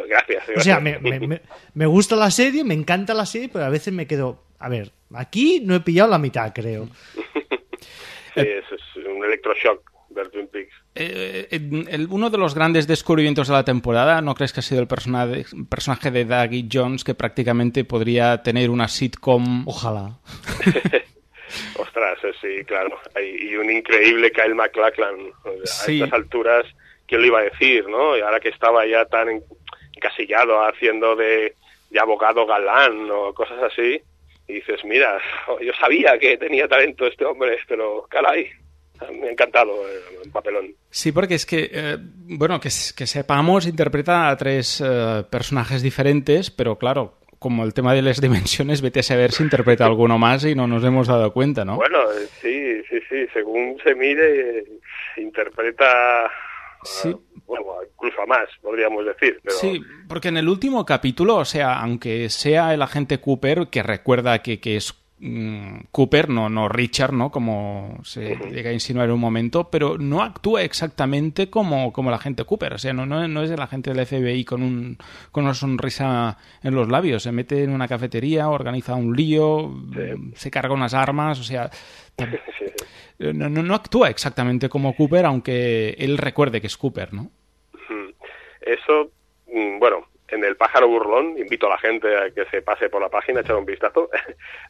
Gracias. O sea, gracias. me, me, me- me gusta la serie, me encanta la serie, pero a veces me quedo, a ver, aquí no he pillado la mitad, creo. Sí, eso es un electroshock ver Twin Peaks. Eh, eh, el- uno de los grandes descubrimientos de la temporada, ¿no crees que ha sido el personaje, personaje de Dougie Jones, que prácticamente podría tener una sitcom? Ojalá. Ostras, eh, sí, claro. Hay- Y un increíble Kyle MacLachlan. A Sí. estas alturas, ¿quién lo iba a decir, no? Y ahora que estaba ya tan en- encasillado haciendo de, de abogado galán o cosas así, y dices, mira, yo sabía que tenía talento este hombre, pero caray, me ha encantado el papelón. Sí, porque es que, eh, bueno, que, s- que sepamos, interpreta a tres eh, personajes diferentes, pero claro, como el tema de las dimensiones, vete a saber si interpreta alguno más y no nos hemos dado cuenta, ¿no? Bueno, eh, sí, sí, sí, según se mire, eh, interpreta, Sí. ah, bueno, incluso a más, podríamos decir. Pero... Sí, porque en el último capítulo, o sea, aunque sea el agente Cooper, que recuerda que, que es mm, Cooper, no, no Richard, ¿no? Como se llega a insinuar en un momento, pero no actúa exactamente como, como el agente Cooper. O sea, no, no, no es el agente del F B I con, un, con una sonrisa en los labios. Se mete en una cafetería, organiza un lío, mm, se carga unas armas, o sea... tam- No, no, no actúa exactamente como Cooper, aunque él recuerde que es Cooper, ¿no? Mm. Eso, mm, bueno, en El pájaro burlón, invito a la gente a que se pase por la página, echar un vistazo.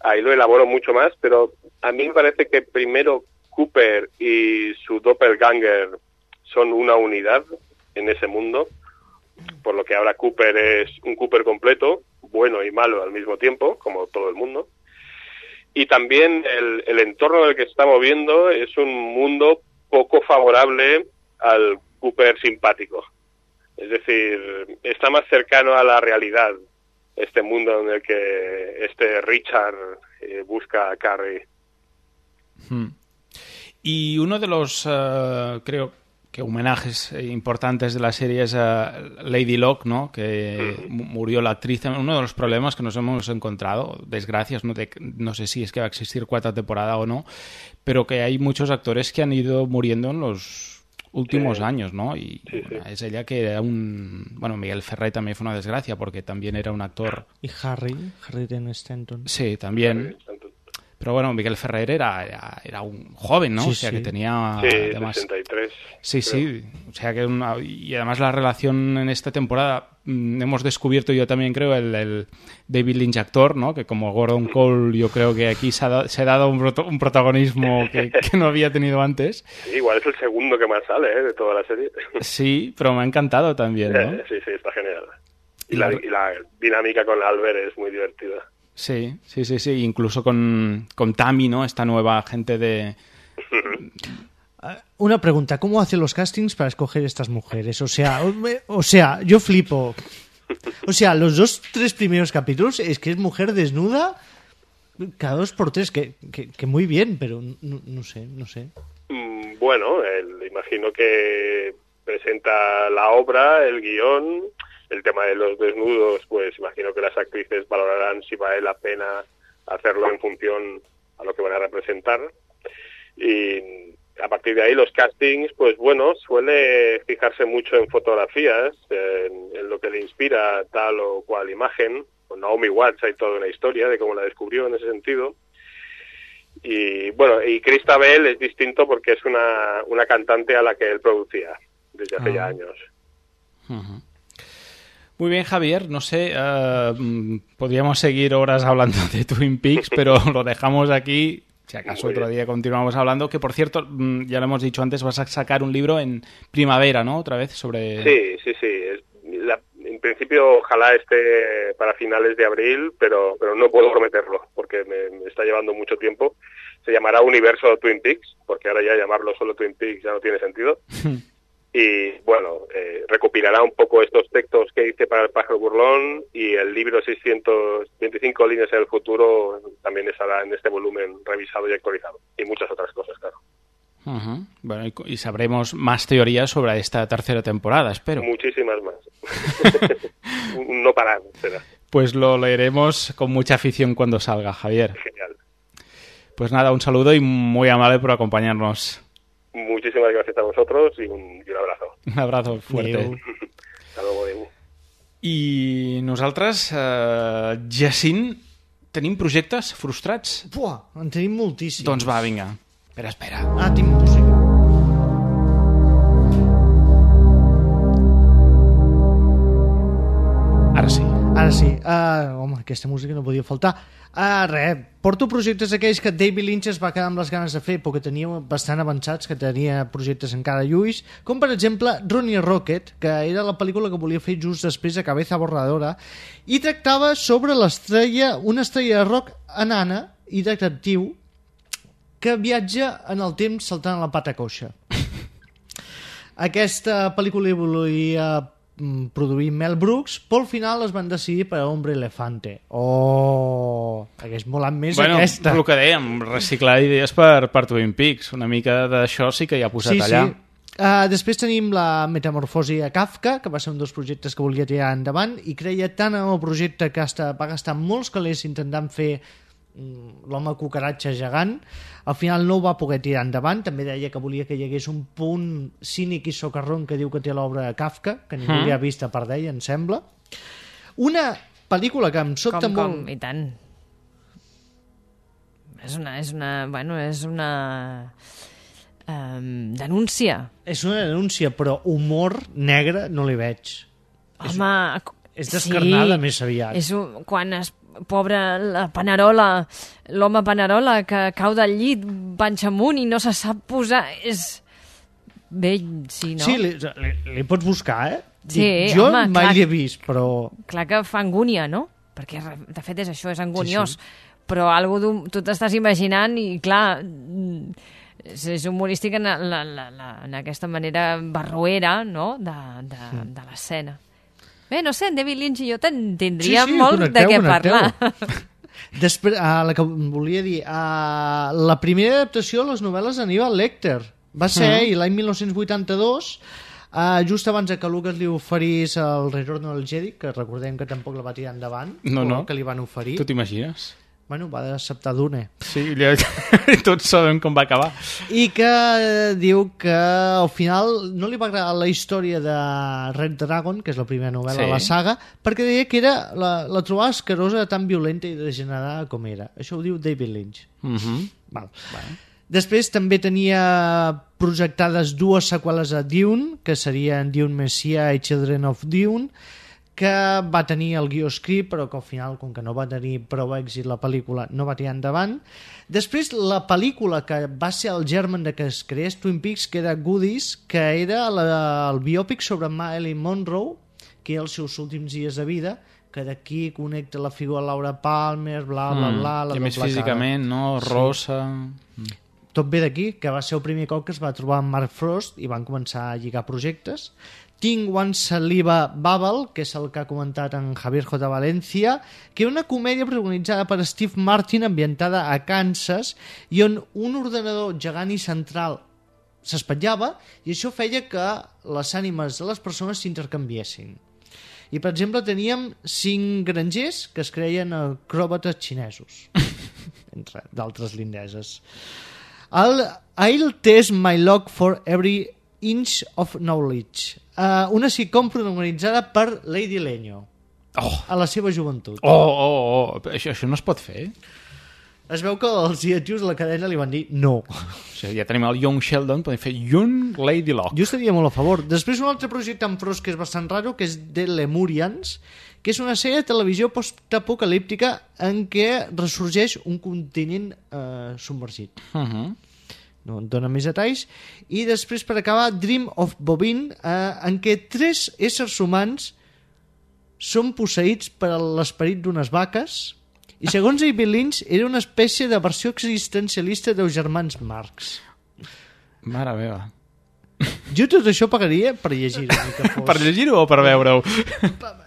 Ahí lo elaboro mucho más, pero a mí me parece que primero Cooper y su doppelganger son una unidad en ese mundo, por lo que ahora Cooper es un Cooper completo, bueno y malo al mismo tiempo, como todo el mundo. Y también el, el entorno en el que se está moviendo es un mundo poco favorable al Cooper simpático. Es decir, está más cercano a la realidad este mundo en el que este Richard eh, busca a Carrie. Hmm. Y uno de los, eh, creo que homenajes importantes de la serie es a Lady Locke, ¿no? Que mu- murió la actriz. Uno de los problemas que nos hemos encontrado, desgracias, no, de- no sé si es que va a existir cuarta temporada o no, pero que hay muchos actores que han ido muriendo en los últimos Sí. años, ¿no? Y Sí, bueno, sí. es ella que era un... Bueno, Miguel Ferrer también fue una desgracia porque también era un actor... Y Harry, Harry Dean Stanton. Sí, también. Pero bueno, Miguel Ferrer era, era, era un joven, ¿no? Sí, o sea, sí. que tenía... Sí, además, sesenta y tres. Sí, creo. sí. O sea que una- y además la relación en esta temporada mm, hemos descubierto, yo también creo, el, el David Lynch actor, ¿no? Que como Gordon Cole yo creo que aquí se ha, da- se ha dado un, proto- un protagonismo que, que no había tenido antes. Sí, igual es el segundo que más sale ¿eh? de toda la serie. Sí, pero me ha encantado también, ¿no? Sí, sí, está genial. Y Y la, la- y la dinámica con Albert es muy divertida. Sí, sí, sí, sí. Incluso con, con Tammy, ¿no? Esta nueva gente de... Una pregunta, ¿cómo hacen los castings para escoger estas mujeres? O sea, o, me- o sea, yo flipo. O sea, los dos, tres primeros capítulos es que es mujer desnuda cada dos por tres, que, que, que muy bien, pero no, no sé, no sé. Mm, Bueno, el- imagino que presenta la obra, el guión. el tema de los desnudos, pues imagino que las actrices valorarán si vale la pena hacerlo en función a lo que van a representar. Y a partir de ahí los castings, pues bueno, suele fijarse mucho en fotografías, en, en lo que le inspira tal o cual imagen. Con Naomi Watts hay toda una historia de cómo la descubrió en ese sentido. Y bueno, y Christabel es distinto porque es una, una cantante a la que él producía desde hace ah. ya años. Uh-huh. Muy bien, Javier, no sé, uh, podríamos seguir horas hablando de Twin Peaks, pero lo dejamos aquí, si acaso otro día continuamos hablando, que por cierto, ya lo hemos dicho antes, vas a sacar un libro en primavera, ¿no? Otra vez sobre... Sí, sí, sí, es, la, en principio ojalá esté para finales de abril, pero pero no puedo prometerlo, porque me, me está llevando mucho tiempo. Se llamará Universo Twin Peaks, porque ahora ya llamarlo solo Twin Peaks ya no tiene sentido. Y bueno, eh, recopilará un poco estos textos que hice para El pájaro burlón, y el libro seiscientas veinticinco líneas en el futuro también estará en este volumen revisado y actualizado, y muchas otras cosas, claro. Uh-huh. Bueno, y, y sabremos más teorías sobre esta tercera temporada, espero. Muchísimas más. No parar, será. Pues lo leeremos con mucha afición cuando salga, Javier. Genial. Pues nada, un saludo y muy amable por acompañarnos. Muchísimas gracias a vosotros y un, y un abrazo. Un abrazo fuerte. Adéu. Hasta luego, adéu. I nosaltres, eh, Jacint, tenim projectes frustrats? Buah, en tenim moltíssims. Doncs va, vinga. Espera, espera. Ah, tinc música. Ara sí. Ara sí. Uh, home, aquesta música no podia faltar. Uh, res, porto projectes aquells que David Lynch es va quedar amb les ganes de fer, però que tenia bastant avançats, que tenia projectes encara lluís, com per exemple Ronnie Rocket, que era la pel·lícula que volia fer just després de Cabeza Borradora, i tractava sobre l'estrella, una estrella de rock enana i detectiu que viatja en el temps saltant a la pata coixa. Aquesta pel·lícula hi volia produir Mel Brooks, però al final es van decidir per Hombre Elefante. Oh, hagués molat més bueno, aquesta. Bueno, el que dèiem, reciclar idees per, per Twin Peaks. Una mica d'això sí que hi ha posat sí, allà. Sí. Uh, després tenim la Metamorfosi a Kafka, que va ser un dels projectes que volia tirar endavant, i creia tant en el projecte que hasta va gastar molts calés intentant fer l'home cucaratge gegant. Al final no ho va poder tirar endavant. També deia que volia que hi hagués un punt cínic i socarrón que diu que té l'obra de Kafka, que ningú mm. li ha vist a part d'ell, em sembla. Una pel·lícula que em sobta com, molt... Com, i tant. És una... És una bueno, és una... Um, denúncia. És una denúncia, però humor negre no li veig. Home... És, és descarnada sí, més aviat. És un, quan es pobre la Panerola, l'home Panerola que cau del llit, panxa amunt i no se sap posar, és vell, sí, no? Sí, li, li, li pots buscar, eh? Sí, jo home, mai clar, l'he vist, però... Clar que fa angúnia, no? Perquè, de fet, és això, és anguniós. Sí, sí. Però algú tu t'estàs imaginant i, clar, és, és humorístic en, la, la, la, en aquesta manera barroera, no?, de, de, sí. de l'escena. Bé, no sé, en David Lynch i jo tindríem sí, sí, molt connecteu, de què parlar. Després, uh, la que volia dir, uh, la primera adaptació a les novel·les d'Aníbal Lecter va ser uh -huh. l'any mil nou-cents vuitanta-dos, uh, just abans que Lucas li oferís el Retorno del Jedi, que recordem que tampoc la va tirar endavant, no, no. que li van oferir. Tu t'imagines? Bueno, va acceptar Dune. Sí, tots sabem com va acabar. I que diu que al final no li va agradar la història de Red Dragon, que és la primera novel·la sí. de la saga, perquè deia que era la, la trobava escarosa, tan violenta i degenerada com era. Això ho diu David Lynch. Uh -huh. Val. Bueno. Després també tenia projectades dues seqüeles a Dune, que serien Dune Messiah i Children of Dune, que va tenir el guió escrit, però que al final, com que no va tenir prou èxit la pel·lícula, no va tirar endavant. Després, la pel·lícula que va ser el germen de que es creés Twin Peaks, que era Goodies, que era la, el biòpic sobre Marilyn Monroe, que era els seus últims dies de vida, que d'aquí connecta la figura de Laura Palmer, bla, bla, bla... La I més físicament, no? Rosa... Sí. Tot ve d'aquí, que va ser el primer cop que es va trobar amb Mark Frost i van començar a lligar projectes. Tinc One Saliva Bubble, que és el que ha comentat en Javier J. Valencia, que és una comèdia protagonitzada per Steve Martin, ambientada a Kansas, i on un ordenador gegant i central s'espatllava, i això feia que les ànimes de les persones s'intercanviessin. I, per exemple, teníem cinc grangers que es creien acròbates xinesos, entre d'altres lindeses. El I'll test my luck for every inch of knowledge. Uh, una sitcom protagonitzada per Lady Lenyo. Oh. A la seva joventut. Oh, oh, oh. Això, això no es pot fer? Es veu que els directius de la cadena li van dir no. O sigui, ja tenim el Young Sheldon, podem fer Young Lady Locke. Jo estaria molt a favor. Després un altre projecte en pros que és bastant raro, que és The Lemurians, que és una sèrie de televisió postapocalíptica en què ressorgeix un continent eh, submergit. Uh -huh. No en dona més detalls. I després, per acabar, Dream of Bobin, eh, en què tres éssers humans són posseïts per l'esperit d'unes vaques i, segons David Lynch, era una espècie de versió existencialista dels germans Marx. Mare meva. Jo tot això pagaria per llegir-ho. Fos... Per llegir-ho o per veure-ho?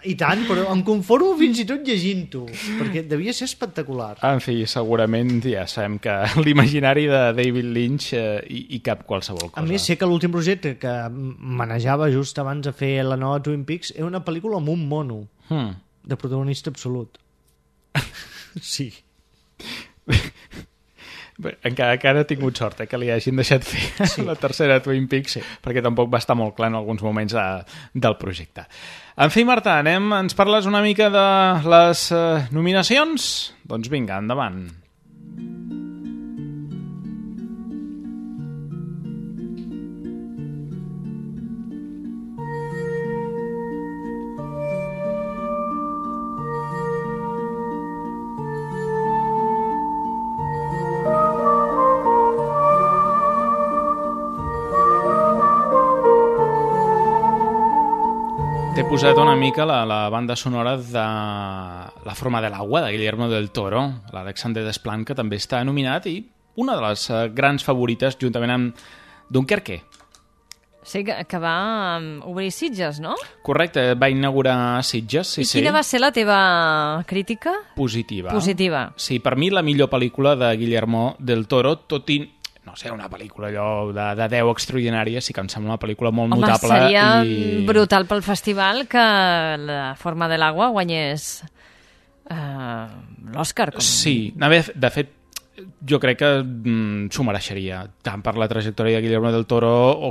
I tant, però em conformo fins i tot llegint-ho, perquè devia ser espectacular. En fi, segurament ja sabem que l'imaginari de David Lynch eh, hi, hi cap qualsevol cosa. A més, sé que l'últim projecte que manejava just abans de fer la nova Twin Peaks era una pel·lícula amb un mono, hmm. de protagonista absolut. Sí. Bé, encara, encara he tingut sort eh, que li hagin deixat fer sí. la tercera Twin Peaks, sí. perquè tampoc va estar molt clar en alguns moments de, del projecte. En fi, Marta, anem, ens parles una mica de les eh, nominacions? Doncs vinga, endavant. T'he posat una mica la, la banda sonora de La forma de l'agua, de Guillermo del Toro, l'Alexander Desplat, que també està nominat, i una de les uh, grans favorites, juntament amb Dunkerque. Sí, que, que va um, obrir Sitges, no? Correcte, va inaugurar Sitges, sí, I sí. quina va ser la teva crítica? Positiva. Positiva. Sí, per mi la millor pel·lícula de Guillermo del Toro, tot i... no sé, una pel·lícula allò de, de deu extraordinària, sí que em sembla una pel·lícula molt Home, notable. Home, seria i... brutal pel festival que La forma de l'agua guanyés uh, l'Òscar. Com... Sí, de fet, jo crec que mm, s'ho mereixeria, tant per la trajectòria de Guillermo del Toro o,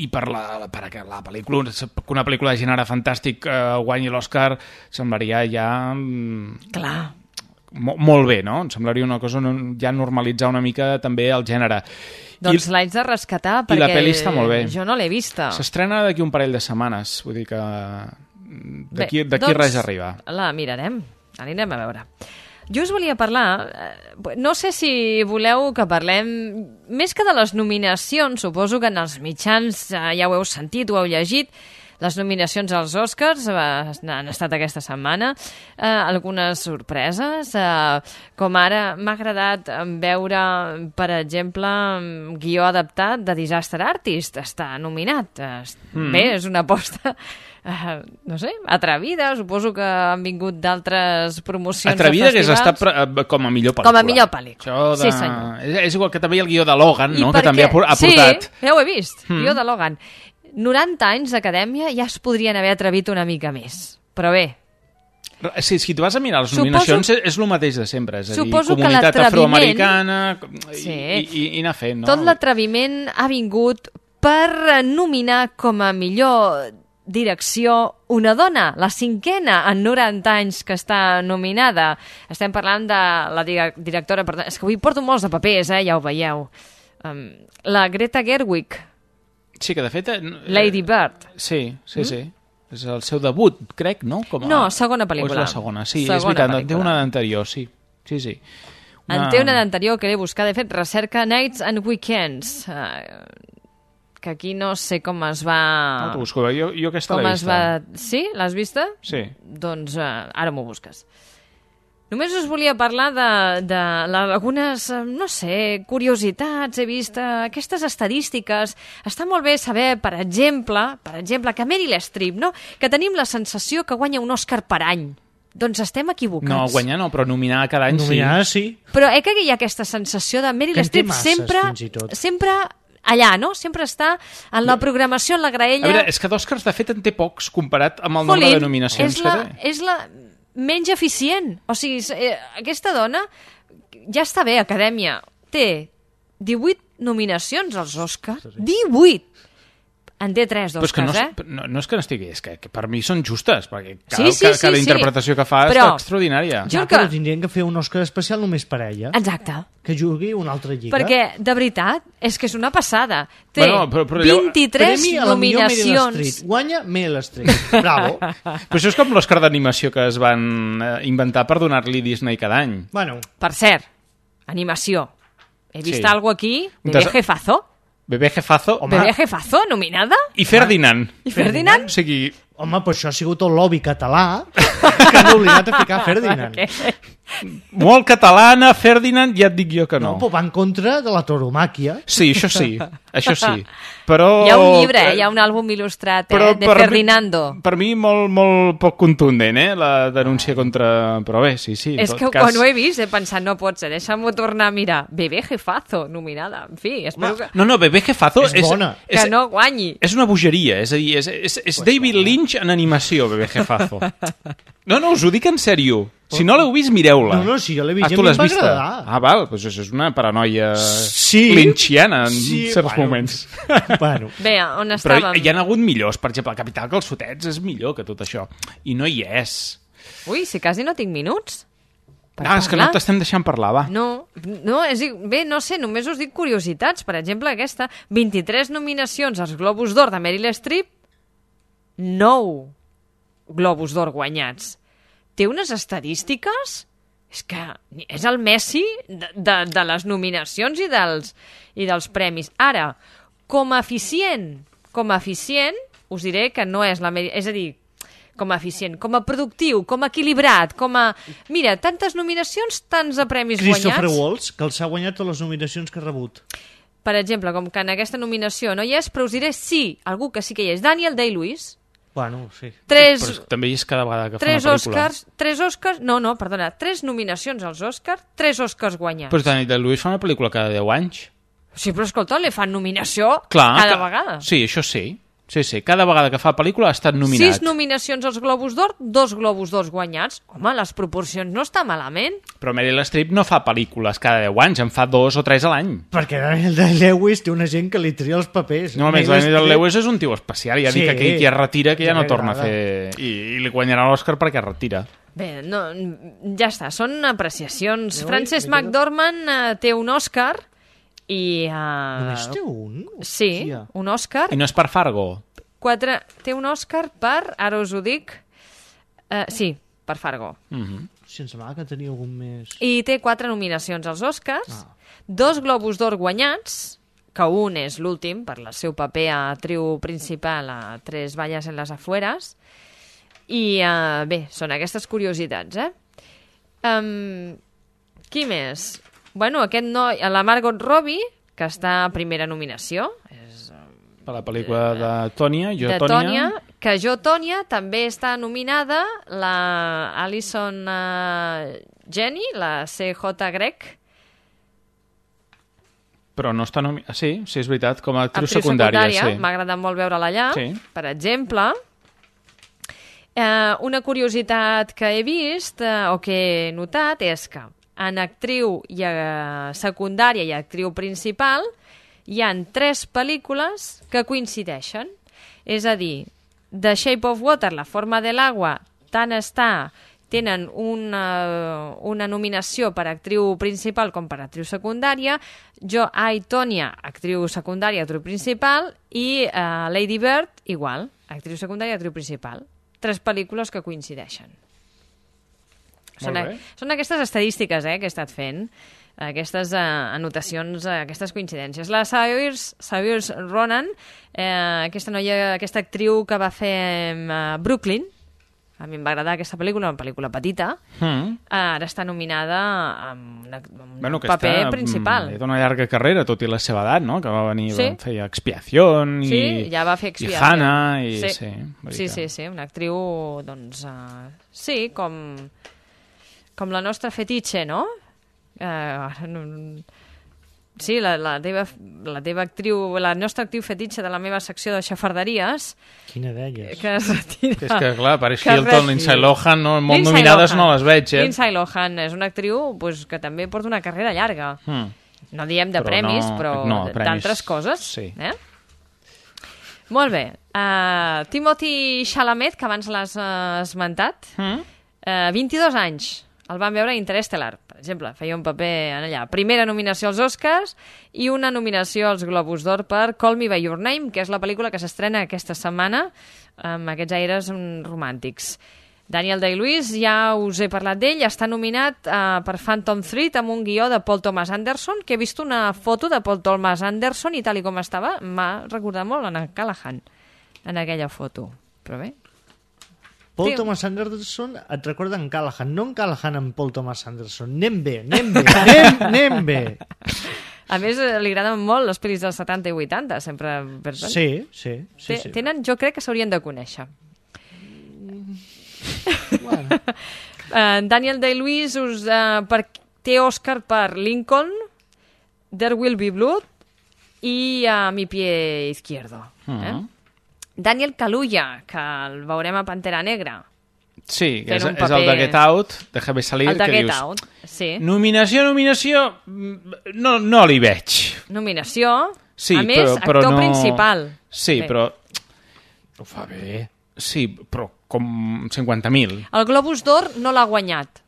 i per la, per la pel·lícula, que una pel·lícula de gènere fantàstic uh, guanyi l'Òscar, semblaria ja... Mm, Clar. Mo molt bé, no? Em semblaria una cosa ja normalitzar una mica també el gènere. Doncs l'haig de rescatar perquè I la pel·li està molt bé. Jo no l'he vista. S'estrena d'aquí un parell de setmanes, vull dir que d'aquí doncs, res arriba. La mirarem, anirem a veure. Jo us volia parlar, no sé si voleu que parlem, més que de les nominacions, suposo que en els mitjans ja ho heu sentit, ho heu llegit. Les nominacions als Oscars han estat aquesta setmana, eh, algunes sorpreses, eh, com ara m'ha agradat veure, per exemple, guió adaptat de Disaster Artist, està nominat. Mm. Bé, és una aposta, eh, no sé, atrevida, suposo que han vingut d'altres promocions atrevida de festivals. Atrevida que és estat com a millor pel·lícula. Com a millor pel·lícula, de... sí senyor. És, és igual que també hi ha el guió de Logan, no? Que perquè... també ha portat. Sí, ja ho he vist, mm. guió de Logan. noranta anys d'acadèmia ja es podrien haver atrevit una mica més. Però bé... Sí, si tu vas a mirar les nominacions suposo, és el mateix de sempre. És a dir, comunitat afroamericana sí, i, i, i anar fent, no? Tot l'atreviment ha vingut per nominar com a millor direcció una dona, la cinquena en noranta anys que està nominada. Estem parlant de la directora... És que avui porto molts de papers, eh? Ja ho veieu. Um, la Greta Gerwig. Sí, que de fet... Eh, Lady Bird. Sí, sí, mm? sí. És el seu debut, crec, no? Com a... No, segona pel·lícula. O és la segona, sí, segona és veritat, pel·lícula. en té una d'anterior, sí. Sí, sí. Una... En té una d'anterior que l'he buscat, de fet, recerca Nights and Weekends, uh, que aquí no sé com es va... No t'ho busco, jo, jo aquesta l'he vista. Va... Sí? L'has vista? Sí. Doncs uh, ara m'ho busques. Només us volia parlar de, de algunes, no sé, curiositats. He vist uh, aquestes estadístiques. Està molt bé saber, per exemple, per exemple, que Meryl Streep, no? Que tenim la sensació que guanya un Òscar per any. Doncs estem equivocats. No, guanyar no, però nominar cada any nominar, sí. sí. Però eh que hi ha aquesta sensació de Meryl Streep sempre, sempre allà, no? Sempre està en la programació, en la graella... A veure, és que d'Oscars, de fet, en té pocs comparat amb el nombre de nominacions és la, que té. És la menys eficient. O sigui, eh, aquesta dona ja està bé, Acadèmia. Té divuit nominacions als Oscars. divuit! En té tres d'Oscars, no, eh? No, no és que n'estigui, és que, que per mi són justes, perquè cada, sí, sí, cada, cada sí, interpretació sí. que fa però, és extraordinària. Ja, que... però tindrien que fer un Òscar especial només per a ella. Exacte. Que jugui una altra lliga. Perquè, de veritat, és que és una passada. Té bueno, però, però allò... vint-i-tres nominacions. Guanya Meryl Streep. Bravo. Però això és com l'Òscar d'animació que es van eh, inventar per donar-li Disney cada any. Bueno. Per cert, animació. He vist sí. algo aquí, Bebé Des... Jefazo. Bebé Jefazo. Home. Bebé Jefazo, nominada. I Ferdinand. I Ferdinand? O sigui... Home, però això ha sigut el lobby català que han obligat a ficar Ferdinand. Molt catalana, Ferdinand, ja et dic jo que no. No, però va en contra de la tauromàquia. Sí, això sí, això sí. Però... Hi ha un llibre, eh? Hi ha un àlbum il·lustrat, eh? de per Ferdinando. Mi, per mi molt, molt poc contundent, eh? La denúncia contra... Però bé, sí, sí. És que cas... quan ho he vist he pensat, no pot ser, deixa'm-ho tornar a mirar. Bebé Jefazo, nominada. En fi, espero que... No, no, Bebé Jefazo és, és bona. És, que no guanyi. És una bogeria, és a dir, és, és, és David Lynch en animació, Bebé Jefazo. No, no, us ho dic en sèrio. Si no l'heu vist, mireu-la. No, no, si jo l'he vist, ah, ja m'hi va agradar. Ah, val, doncs això és una paranoia sí, lynchiana en sí, certs bueno, moments. Bueno. Bé, on estàvem? Però hi ha hagut millors, per exemple, el Capital Calçotets és millor que tot això. I no hi és. Ui, si quasi no tinc minuts. Ah, és que no t'estem deixant parlar, va. No, no és, bé, no sé, només us dic curiositats. Per exemple, aquesta, vint-i-tres nominacions als Globus d'Or de Meryl Streep, nou Globus d'Or guanyats. Té unes estadístiques... És que és el Messi de, de, de les nominacions i dels, i dels premis. Ara, com a eficient, com a eficient, us diré que no és la... És a dir, com a eficient, com a productiu, com a equilibrat, com a... Mira, tantes nominacions, tants de premis Christopher guanyats... Christopher Waltz, que els ha guanyat totes les nominacions que ha rebut. Per exemple, com que en aquesta nominació no hi és, però us diré sí, algú que sí que hi és, Daniel Day-Lewis. Bueno, sí. Tres, però també és cada vegada que fa tres una pel·lícula. Oscars, tres Oscars, no, no, perdona, tres nominacions als Oscars, tres Oscars guanyats. Però Daniel Day-Lewis fa una pel·lícula cada deu anys. Sí, però escolta, li fan nominació Clar, cada que... vegada. Sí, això sí. Sí, sí, cada vegada que fa pel·lícula ha estat nominat. Sis nominacions als Globus d'Or, dos Globus d'Or guanyats. Home, les proporcions no està malament. Però Meryl Streep no fa pel·lícules cada deu anys, en fa dos o tres a l'any. Perquè Daniel Day-Lewis té una gent que li tria els papers. No, a més, Daniel Day-Lewis és un tio especial, ja sí, dic que aquell que es retira, que ja, ja no torna a fer... I, i li guanyarà l'Òscar perquè es retira. Bé, no, ja està, són apreciacions. No, Frances McDormand uh, té un Òscar i... Uh... Només té un? Sí, Hòstia. Un Òscar. I no és per Fargo? Quatre... Té un Òscar per, ara us ho dic, uh, sí, per Fargo. Mm -hmm. Si em semblava que tenia algun més... I té quatre nominacions als Oscars, ah. dos Globus d'Or guanyats, que un és l'últim, per el seu paper a actriu principal a Tres valles en les afueres, i uh, bé, són aquestes curiositats, eh? Um, qui més? Bueno, aquest noi, la Margot Robbie, que està a primera nominació, és... Per la pel·lícula de Tònia, Jo, de Tònia. Tònia, que Jo, Tònia, també està nominada la Alison uh, Jenny, la C J Greg. Però no està nominada... Sí, sí, és veritat, com a actriu, actriu secundària. secundària. Sí. M'ha agradat molt veure-la allà, sí. Per exemple. Eh, una curiositat que he vist, eh, o que he notat, és que en actriu i, eh, secundària i actriu principal hi han tres pel·lícules que coincideixen. És a dir, The Shape of Water, La forma de l'agua, tant està, tenen una, una nominació per actriu principal com per actriu secundària. Jo, I, Tònia, actriu secundària, actriu principal, i uh, Lady Bird, igual, actriu secundària, actriu principal. Tres pel·lícules que coincideixen. Són, són aquestes estadístiques eh, que he estat fent, aquestes uh, anotacions, uh, aquestes coincidències. La Saoirse, Saoirse Ronan, eh, aquesta noia, aquesta actriu que va fer uh, Brooklyn, a mi em va agradar aquesta pel·lícula, una pel·lícula petita, mm. ara està nominada amb, una, amb bueno, un paper està, principal. Té una llarga carrera, tot i la seva edat, no? Que va venir, sí. va fer Expiación i, sí, ja va fer Expiación. I Hannah. I, sí. Sí, sí, sí, sí, una actriu, doncs, uh, sí, com, com la nostra fetitxe, no? Uh, sí, la, la, teva, la teva actriu, la nostra actriu fetitxa de la meva secció de xafarderies... Quina d'elles? Que es retira... És que, clar, Paris Hilton, Lindsay Lohan, no, molt Lindsay nominades Lohan. No les veig, eh? Lindsay Lohan és una actriu pues, que també porta una carrera llarga. Hmm. No diem de però premis, no, però no, d'altres coses. Sí. Eh? Molt bé. Uh, Timothy Chalamet, que abans l'has uh, esmentat, mm? uh, vint-i-dos anys. El vam veure a Interstellar, per exemple. Feia un paper en allà. Primera nominació als Oscars i una nominació als Globus d'Or per Call Me By Your Name, que és la pel·lícula que s'estrena aquesta setmana amb aquests aires romàntics. Daniel Day-Lewis, ja us he parlat d'ell, està nominat uh, per Phantom Thread amb un guió de Paul Thomas Anderson, que he vist una foto de Paul Thomas Anderson i tal i com estava, m'ha recordat molt en Callahan, en aquella foto. Però bé... Paul sí. Thomas Anderson et recorda en Callahan, no en Callahan amb Paul Thomas Anderson. Anem bé, anem bé, anem, anem bé. A més, li agraden molt les pel·lis dels setanta i vuitanta, sempre... Sí, sí. sí, sí. Tenen, jo crec que s'haurien de conèixer. Bueno. uh, Daniel Day-Lewis us, uh, per, té Òscar per Lincoln, There Will Be Blood i uh, Mi Pie Izquierdo. Uh-huh. eh? Daniel Kaluuya, que el veurem a Pantera Negra. Sí, és, paper... és el de Get Out, Déjame Salir, el de que Get dius... Out, sí. Nominació, nominació... No, no li veig. Nominació? Sí, a més, però, però actor no... principal. Sí, bé. però... Ho fa bé. Sí, però com cinquanta mil. El Globus d'Or no l'ha guanyat.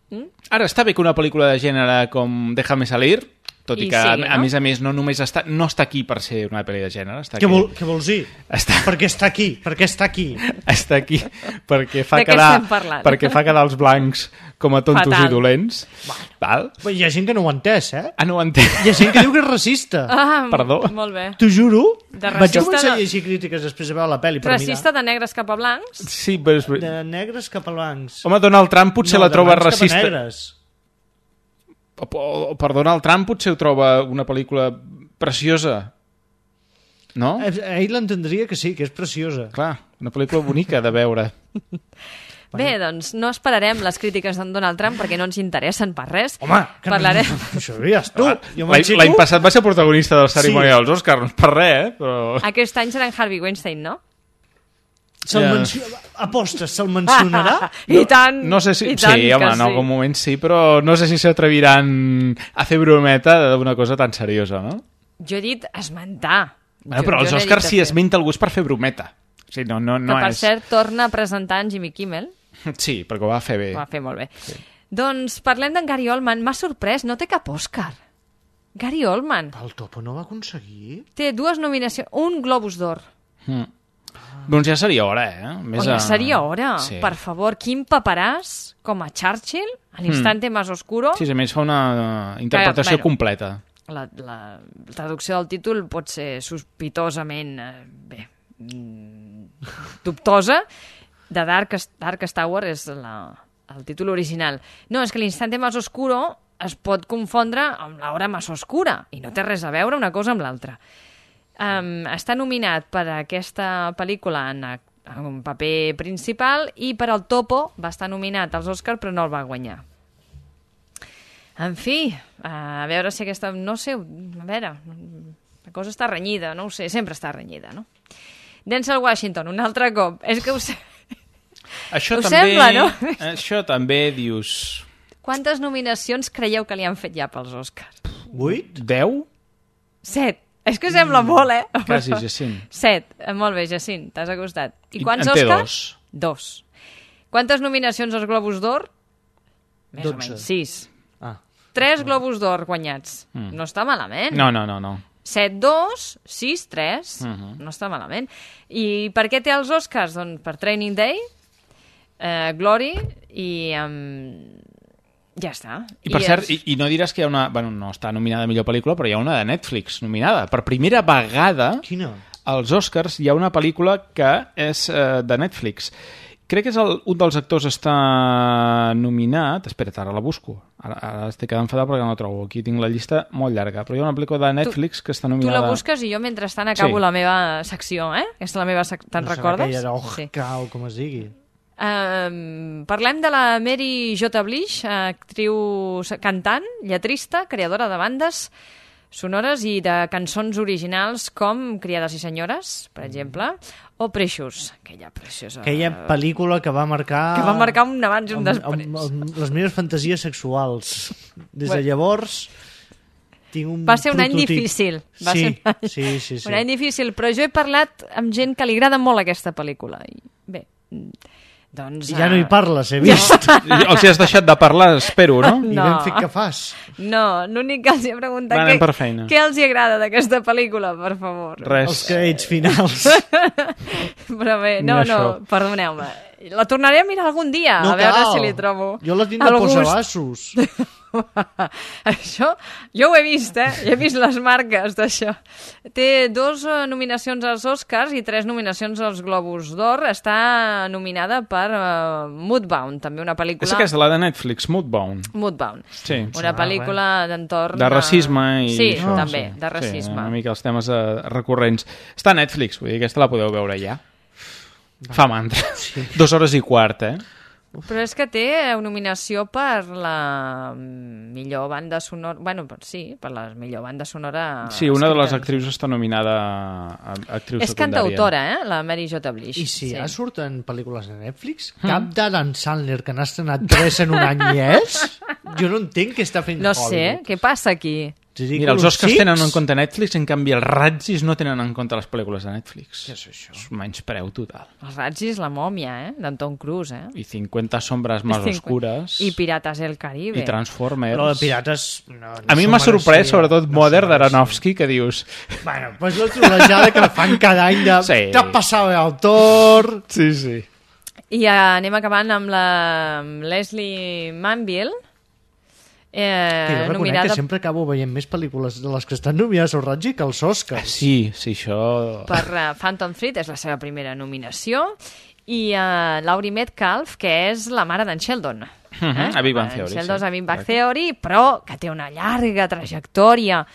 Mm? Ara, està bé que una pel·lícula de gènere com Déjame Salir, tot i, I que, sí, a, no? a més a més, no només està, no està aquí per ser una pel·li de gènere. Està què, vol, què vols dir? Està... Perquè està aquí, perquè està aquí. Està aquí perquè fa, quedar, perquè fa quedar els blancs com a tontos Fatal. I dolents. Bueno. Val? Hi ha gent que no ho ha entès, eh? Ah, no ho entès. Hi ha gent que diu que és racista. Ah, perdó. Molt bé. T'ho juro. De Vaig començar a llegir crítiques després de veure la pel·li. Racista de negres cap a blancs? Sí, però... És... De negres cap a blancs. Home, Donald Trump potser no, la troba racista. Cap a negres. O, o, per Donald Trump potser ho troba una pel·lícula preciosa, no? Ell l'entendria que sí, que és preciosa. Clar, una pel·lícula bonica de veure. Bé, doncs no esperarem les crítiques d'en Donald Trump perquè no ens interessen per res. Home, que Parlarem... no, això diries tu. L'any passat va ser protagonista de la cerimònia sí. dels Oscars, no per res, eh? Però... Aquest any serà en Harvey Weinstein, no? Se'l yeah. menciona... Apostes, se'l mencionarà? I tant! No, no sé si... I tant sí, home, en algun sí. moment sí, però no sé si s'atreviran a fer brometa d'una cosa tan seriosa, no? Jo he dit esmentar. Bueno, però jo, els jo Oscars si esmenta algú és per fer brometa. O sigui, no, no, no que, per és... cert, torna a presentar en Jimmy Kimmel. Sí, perquè ho va fer bé. Ho va fer molt bé. Sí. Doncs parlem d'en Gary Oldman. M'ha sorprès, no té cap Òscar. Gary Oldman. El Topo no va aconseguir? Té dues nominacions, un Globus d'Or. Mm. Doncs ja seria hora, eh? Més oh, ja a... seria hora. Sí. Per favor, Quim Paparàs, com a Churchill, a l'instante mm. más oscuro. Sí, a més fa una interpretació que, bueno, completa. La, la traducció del títol pot ser sospitosament, eh, bé, dubtosa. De Dark, Darkest Tower és la, el títol original. No, és que l'instante más oscuro es pot confondre amb l'hora más oscura i no té res a veure una cosa amb l'altra. Um, està nominat per aquesta pel·lícula en, en un paper principal i per al Topo va estar nominat als Oscars però no el va guanyar. En fi, a veure si aquesta... No sé, a veure, la cosa està renyida, no ho sé, sempre està renyida, no? Denzel Washington, un altre cop. És que us... Això us també, sembla, no? Això també dius... Quantes nominacions creieu que li han fet ja pels Oscars? Vuit? Deu? Set. És que sembla molt, eh? Quasi, Jacint. Set. Molt bé, Jacint, t'has acostat. I quants en té Oscars? dos. Dos. Quantes nominacions als Globus d'Or? Més dotze. o menys. Sis. Ah. Tres Globus d'Or guanyats. Mm. No està malament. No, no, no, no. Set, dos, sis, tres. Uh-huh. No està malament. I per què té els Oscars? Doncs per Training Day, eh, Glory i... Um, ja està. I per I cert, és... i, i no diràs que hi ha una... Bueno, no està nominada a millor pel·lícula, però hi ha una de Netflix nominada. Per primera vegada... Quina? Als Oscars hi ha una pel·lícula que és eh, de Netflix. Crec que és el, un dels actors està nominat... Espera't, ara la busco. Ara, ara estic quedant enfadat perquè no la trobo. Aquí tinc la llista molt llarga. Però hi ha una pel·lícula de Netflix tu, que està nominada... Tu la busques i jo mentrestant acabo sí. la meva secció, eh? Aquesta és la meva secció. Te'n no recordes? No serà aquella sí. o com es digui. Um, parlem de la Mary J. Blige, actriu cantant, lletrista, creadora de bandes sonores i de cançons originals com Criades i senyores, per exemple, o Precious, aquella preciosa... Aquella pel·lícula que va marcar... Que va marcar un abans i un després. Amb, amb, amb les meves fantasies sexuals. Des de Bueno. llavors... Tinc un Va ser un any prototip. difícil. Va sí, ser un any, sí, sí, sí. un any difícil, però jo he parlat amb gent que li agrada molt aquesta pel·lícula. I bé, doncs... I ja no hi eh, parles, he vist. Els hi has deixat de parlar, espero, no? I No. ben fet que fas. No, l'únic que els he preguntat Va, anem què, per feina. què els hi agrada d'aquesta pel·lícula, per favor. Res. Els crèdits finals. Però bé, no, Ni no, això. perdoneu-me. La tornaré a mirar algun dia, No a veure cal. si li trobo Jo la tinc de el gust. posabassos. Això, jo ho he vist, eh? He vist les marques d'això. Té dos eh, nominacions als Oscars i tres nominacions als Globus d'Or. Està nominada per uh, Moodbound, també una pel·lícula... És aquesta, la de Netflix, Moodbound. Moodbound. Sí. Una pel·lícula d'entorn... De racisme i... Sí, això, també, sí. de racisme. Sí, una mica els temes eh, recurrents. Està a Netflix, vull dir, aquesta la podeu veure ja. Fa mantra. Sí. Dos hores i quart, eh? Però és que té nominació per la millor banda sonora... Bueno, per, sí, per la millor banda sonora... Sí, una de les escrita. actrius està nominada a actriu És secundària. cantautora, eh? La Mary J. Blish. I si sí. ja surten pel·lícules a Netflix, cap d'Adam Sandler, que n'ha estrenat tres en un any i és? Jo no entenc què està fent No sé, Hollywood. què passa aquí? Mira, els Oscars tenen en compte Netflix, en canvi els Razzis no tenen en compte les pel·lícules de Netflix. Què és això? És menyspreu total. Els Razzis, la mòmia, eh? D'en Tom Cruise, eh? I cinquanta sombres més oscures. I Pirates del Caribe. I Transformers. Però de Pirates... No, no a mi s'ho m'ha sorprès, mereixia, sobretot no Mother s'ho d'Aronofsky, que dius... Bueno, pues la trolejada que fan cada any de... Sí. T'ha passat el tor... Sí, sí. I uh, anem acabant amb la amb Leslie Manville, Eh, eh, jo reconec nominada que sempre acabo veient més pel·lícules de les que estan nominades al Razzie que els Oscars. Sí, sí, això... per uh, Phantom Thread, és la seva primera nominació, i uh, Laurie Metcalf, que és la mare d'en Sheldon. Uh -huh, a Big Bang Theory, En Sheldon sí. a Big Bang Theory, però que té una llarga trajectòria.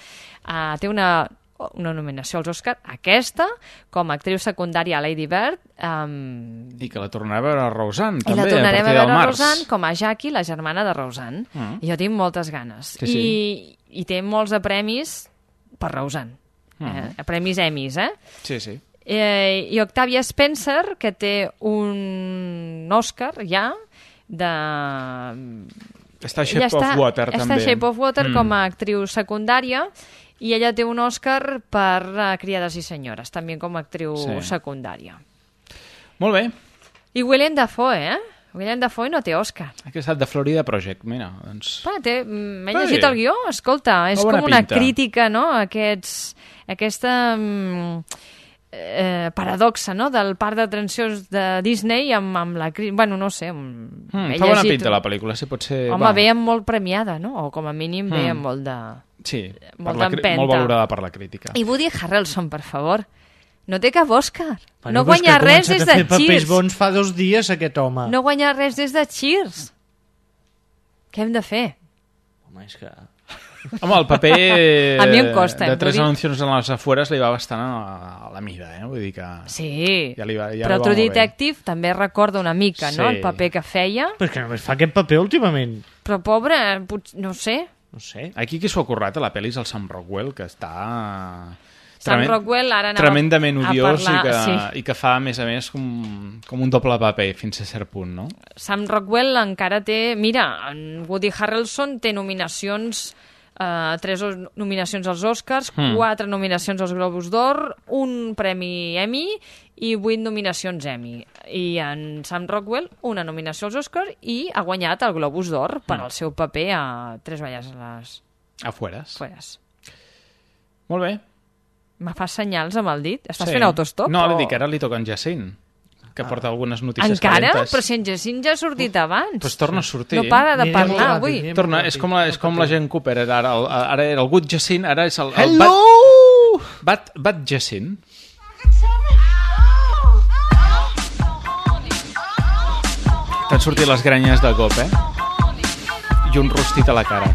Uh, té una, una nominació als Oscars, aquesta, com a actriu secundària a Lady Bird, um, I que la tornarà a veure a Roseanne, i també, la tornarem a a partir veure del a març. Roseanne com a Jackie, la germana de Roseanne. Mm. I jo tinc moltes ganes. Sí, sí. I, I té molts de premis per Roseanne. Mm. Eh? Premis Emmys, eh? Sí, sí. Eh, I Octavia Spencer, que té un Oscar ja de... Està a Shape Ella of Water, està també. a Shape of Water Mm. com a actriu secundària i ella té un Oscar per uh, Criades i senyores, també com a actriu Sí. secundària. Molt bé. I Willem Dafoe, eh? Willem Dafoe no té Oscar. Aquí ha estat de Florida Project, mira, doncs... Va, té, mm, m'he Va llegit bé. el guió, escolta, és Fa bona com una pinta. crítica, no?, a aquests, aquesta mm, eh, paradoxa, no?, del parc d'atraccions de Disney amb, amb la crítica... Bueno, no sé... Mm, Mm, fa bona pinta la pel·lícula, sí, pot ser... Home, va. ve molt premiada, no?, o com a mínim ve Mm. amb molt de... Sí, per molt la, cri- d'empenta. molt valorada per la crítica. I Woody Harrelson, per favor, no té cap Òscar. Bueno, No però és que guanya ha res començat des a de fer papers Cheers. bons fa dos dies, aquest home. No guanya res des de Cheers. Què hem de fer? Home, és que... Home, el paper A mi em costa, de em tres vull dir- anuncions en les afueres li va bastant a, a la mida, eh? Vull dir que... Sí, Ja li va, ja però li va True molt bé. Detective també recorda una mica, no?, Sí. el paper que feia. Però és que només fa aquest paper últimament. Però pobre, pot- no sé. No sé. Aquí qui s'ho ha currat a la pel·li és el Sam Rockwell, que està... Sam tremen- Rockwell ara anava tremendament a odiós parlar, i, que, sí. i que fa, a més a més, com, com un doble paper fins a cert punt, no? Sam Rockwell encara té... Mira, en Woody Harrelson té nominacions... Uh, tres os- nominacions als Oscars, Hmm. quatre nominacions als Globus d'Or, un premi Emmy i vuit nominacions Emmy. I en Sam Rockwell, una nominació als Oscars i ha guanyat el Globus d'Or per Hmm. al seu paper a Tres valles a les Afueres. fueres. Molt bé. Me fas senyals amb el dit? Estàs Sí. fent autostop? No, o... li dic, ara li toca en Jacint, que porta algunes notícies Encara? calentes. Però si en Jacint ja ha sortit abans. Pues torna a sortir. No para de Anirem parlar molt ràpid, avui. anirem Torna, molt és ràpid. com la, és com la Jane Cooper, era, ara, el, ara era el Good Jacint, ara és el, el Hello! Bad, Bad, Bad Jacint. T'han sortit les granyes de cop, eh? I un rostit a la cara.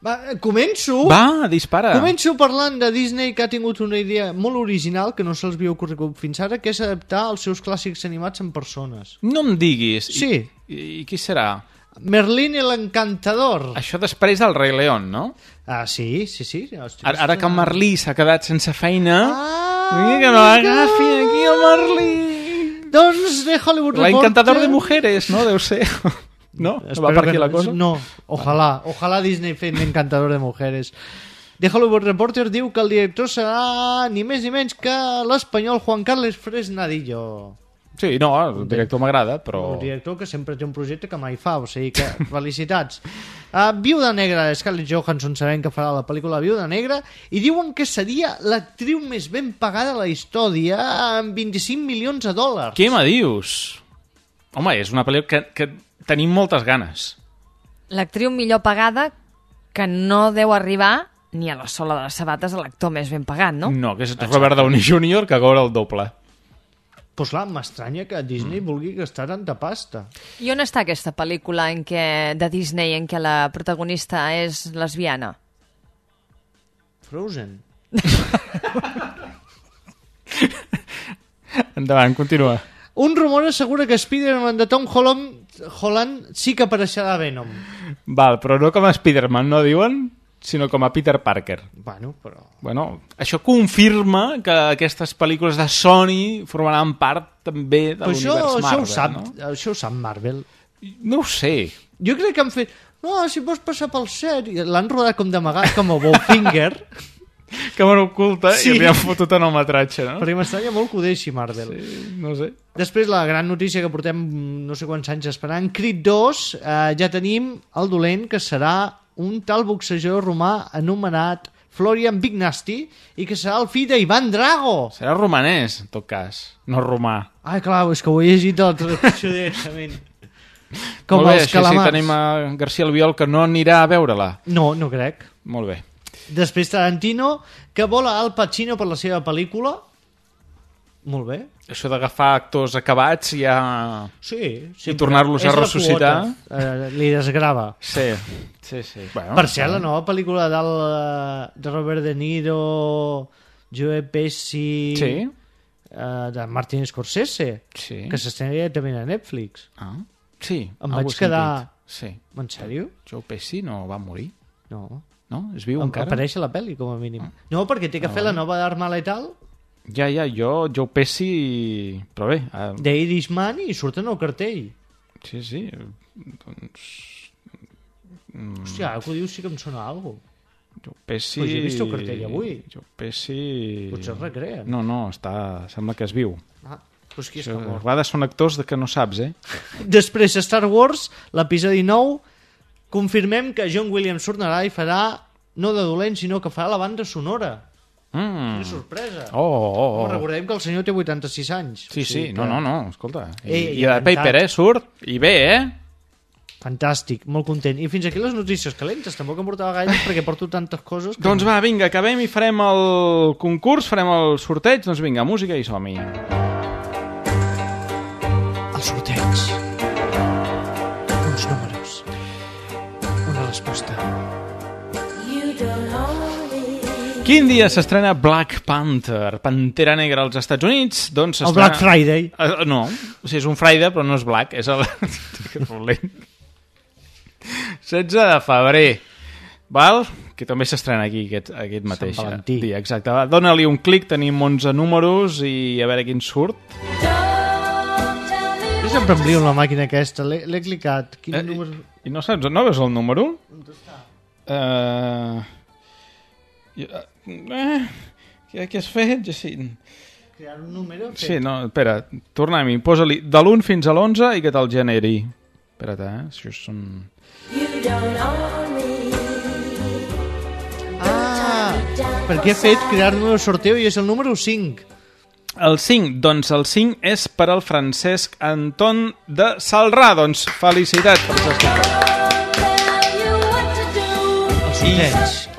Va, començo... Va, dispara. Començo parlant de Disney, que ha tingut una idea molt original que no se'ls havia ocorregut fins ara, que és adaptar els seus clàssics animats en persones. No em diguis. Sí. I, i qui serà? Merlín el Encantador. Això després del Rei León, no? Ah, sí, sí, sí. Ara, ara que el Merlí s'ha quedat sense feina... Ah, mira que no agafi aquí el Merlí! Doncs de Hollywood Reporter... L'Encantador de Mujeres, no? Deu ser... No? No va per aquí la cosa? No, ojalà. Ojalà Disney fent Encantador de Mujeres. The Hollywood Reporter diu que el director serà ni més ni menys que l'espanyol Juan Carlos Fresnadillo. Sí, no, el director m'agrada, però... Un director que sempre té un projecte que mai fa, o sigui que felicitats. Uh, Viuda Negra, Scarlett Johansson sabem que farà la pel·lícula Viuda Negra i diuen que seria l'actriu més ben pagada de la història amb vint-i-cinc milions de dòlars. Què me dius? Home, és una pel·lícula que, que tenim moltes ganes. L'actriu millor pagada que no deu arribar ni a la sola de les sabates a l'actor més ben pagat, no? No, que és Robert Downey júnior que cobra el doble. Pues clar, m'estranya que Disney mm. vulgui gastar tanta pasta. I on està aquesta pel·lícula en què, de Disney en què la protagonista és lesbiana? Frozen. Endavant, continua. Un rumor assegura que Spider-Man de Tom Holland, Holland sí que apareixerà a Venom. Val, però no com a Spider-Man, no diuen? Sinó com a Peter Parker. Bueno, però... Bueno, això confirma que aquestes pel·lícules de Sony formaran part també de l'univers això, Marvel, això ho sap, no? Això ho sap Marvel. No ho sé. Jo crec que han fet... No, si vols passar pel set... L'han rodat com d'amagat, com a Bowfinger. Càmera oculta sí. I li han fotut en el metratge, no? Perquè m'estranya molt que ho deixi Marvel. Sí, no sé. Després, la gran notícia que portem no sé quants anys esperant, Creed dos, eh, ja tenim el dolent, que serà un tal boxejador romà anomenat Florian Big Nasty i que serà el fill d'Ivan Drago. Serà romanès, en tot cas, no romà. Ah, clar, és que ho he llegit de la traducció directament. Com Molt bé, els així calamars. sí tenim a García Albiol que no anirà a veure-la. No, no crec. Molt bé. Després Tarantino, que vol a Al Pacino per la seva pel·lícula. Molt bé. Això d'agafar actors acabats ja... Sí. I tornar-los a ressuscitar. Eh, li desgrava. Sí, sí, sí. Bueno, per cert, la nova pel·lícula del, de Robert De Niro, Joe Pesci... Sí. Eh, de Martin Scorsese. Sí. Que s'estrena directament a Netflix. Ah, sí. Em vaig quedar... Sí. En sèrio? Joe Pesci no va morir? No. No? Es viu em, encara? Apareix a la pel·li, com a mínim. Ah. No, perquè té que ah, fer bueno. la nova d'Arma Letal. Ja, ja, jo, Joe Pesci... Però bé... Uh... The Irishman i surten al cartell. Sí, sí. Doncs... Mm. Hòstia, ara que ho dius sí que em sona alguna cosa. Joe Pesci... Pues he vist el cartell avui. Joe Pesci... Potser es recreen. No, no, està... sembla que es viu. Ah, doncs qui és Això, que mor? a vegades són actors de que no saps, eh? Després, Star Wars, l'episodi nou, confirmem que John Williams tornarà i farà, no de dolent, sinó que farà la banda sonora. Mm. Quina sorpresa. Oh, oh, oh. Home, recordem que el senyor té vuitanta-sis anys. Sí, o sigui sí, que... no, no, no, escolta. I, Ei, i de Paper, eh, surt, i bé, eh? Fantàstic, molt content. I fins aquí les notícies calentes, tampoc em portava gaire perquè porto tantes coses que... Doncs va, vinga, acabem i farem el concurs, farem el sorteig, doncs vinga, música i som-hi. El sorteig. Uns números. Una resposta. Quin dia s'estrena Black Panther, Pantera Negra als Estats Units? Doncs el Black Friday. Uh, no, o sigui, és un Friday però no és Black, és el... setze de febrer, val? Que també s'estrena aquí aquest, aquest mateix dia. Exacte. Dóna-li un clic, tenim onze números i a veure quin surt. Jo sempre em brio la màquina aquesta, l'he clicat. Quin eh, número... I, I no saps, no veus el número? On està? Uh... Eh, què, què has fet, Jacint? Crear un número? Fet. Sí, no, espera, tornem-hi. Posa-li de l'u fins a l'onze i que te'l generi. Espera't, eh? Això són... Ah, perquè he fet crear número sorteo i és el número cinc. El cinc, doncs el cinc és per al Francesc Anton de Salrà. Doncs felicitats, Francesc Anton.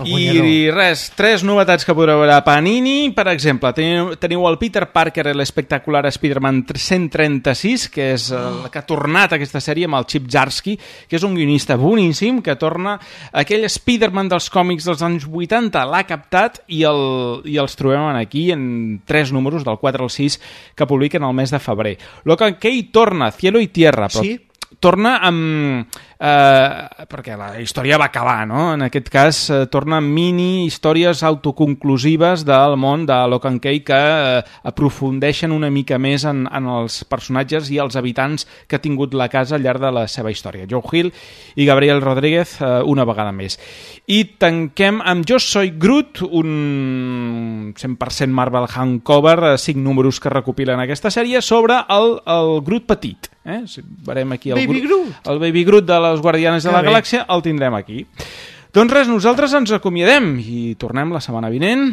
I, i res, tres novetats que podreu veure a Panini. Per exemple, teniu, teniu el Peter Parker, l'espectacular Spider-Man cent trenta-sis, que és el que ha tornat a aquesta sèrie amb el Chip Zdarsky, que és un guionista boníssim, que torna aquell Spider-Man dels còmics dels anys vuitanta, l'ha captat i, el, i els trobem aquí en tres números, del quatre al sis, que publiquen el mes de febrer. Lo que, que hi torna, Cielo y Tierra, però sí? torna amb... Eh, perquè la història va acabar, no? En aquest cas eh, torna amb mini històries autoconclusives del món de Lock and Key que eh, aprofundeixen una mica més en, en els personatges i els habitants que ha tingut la casa al llarg de la seva història. Joe Hill i Gabriel Rodríguez eh, una vegada més. I tanquem amb Jo Soy Groot, un cent per cent Marvel handcover, eh, cinc números que recopilen aquesta sèrie sobre el, el Groot petit. Eh? Si veurem aquí el Baby Groot, Groot. el Baby Groot de les Guardianes de Que la bé. Galàxia, el tindrem aquí. Doncs res, nosaltres ens acomiadem i tornem la setmana vinent.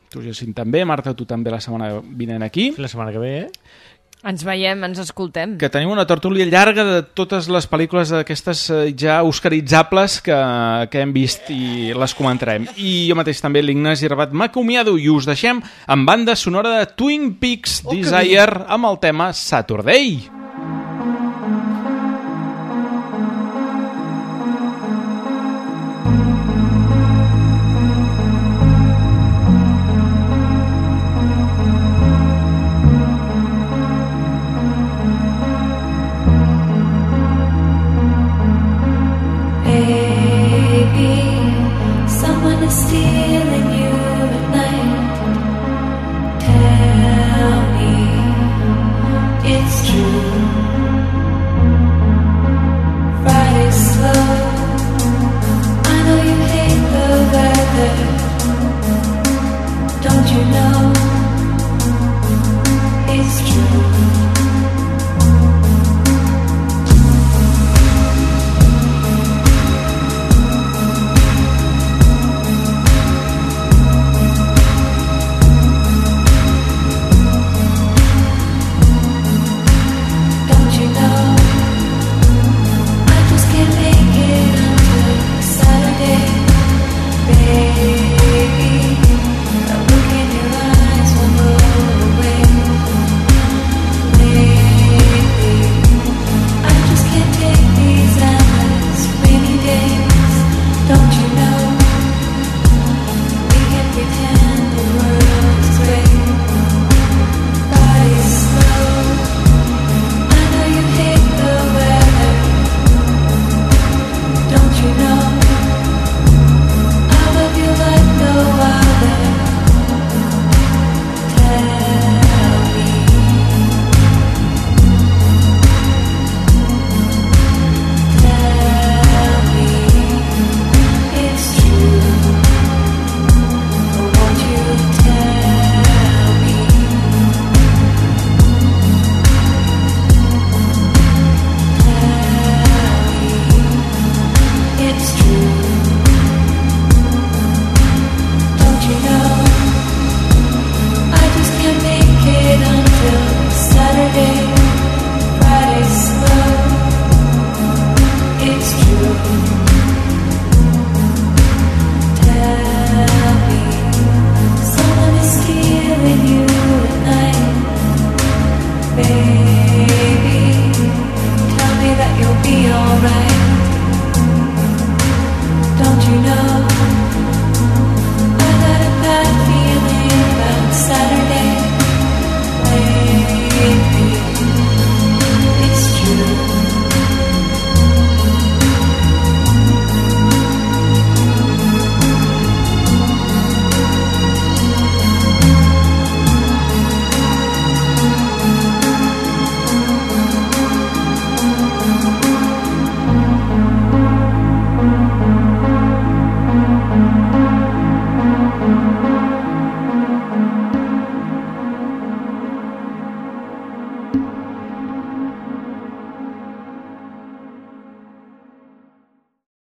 Tu, Jacint, també. Marta, tu també la setmana vinent aquí. La setmana que ve, eh? Ens veiem, ens escoltem. Que tenim una tertúlia llarga de totes les pel·lícules d'aquestes eh, ja oscaritzables que, que hem vist i les comentarem. I jo mateix també, l'Ignasi Rabat, m'acomiado i us deixem amb banda sonora de Twin Peaks Oh, que Desire amb el tema Saturday. Baby, someone is stealing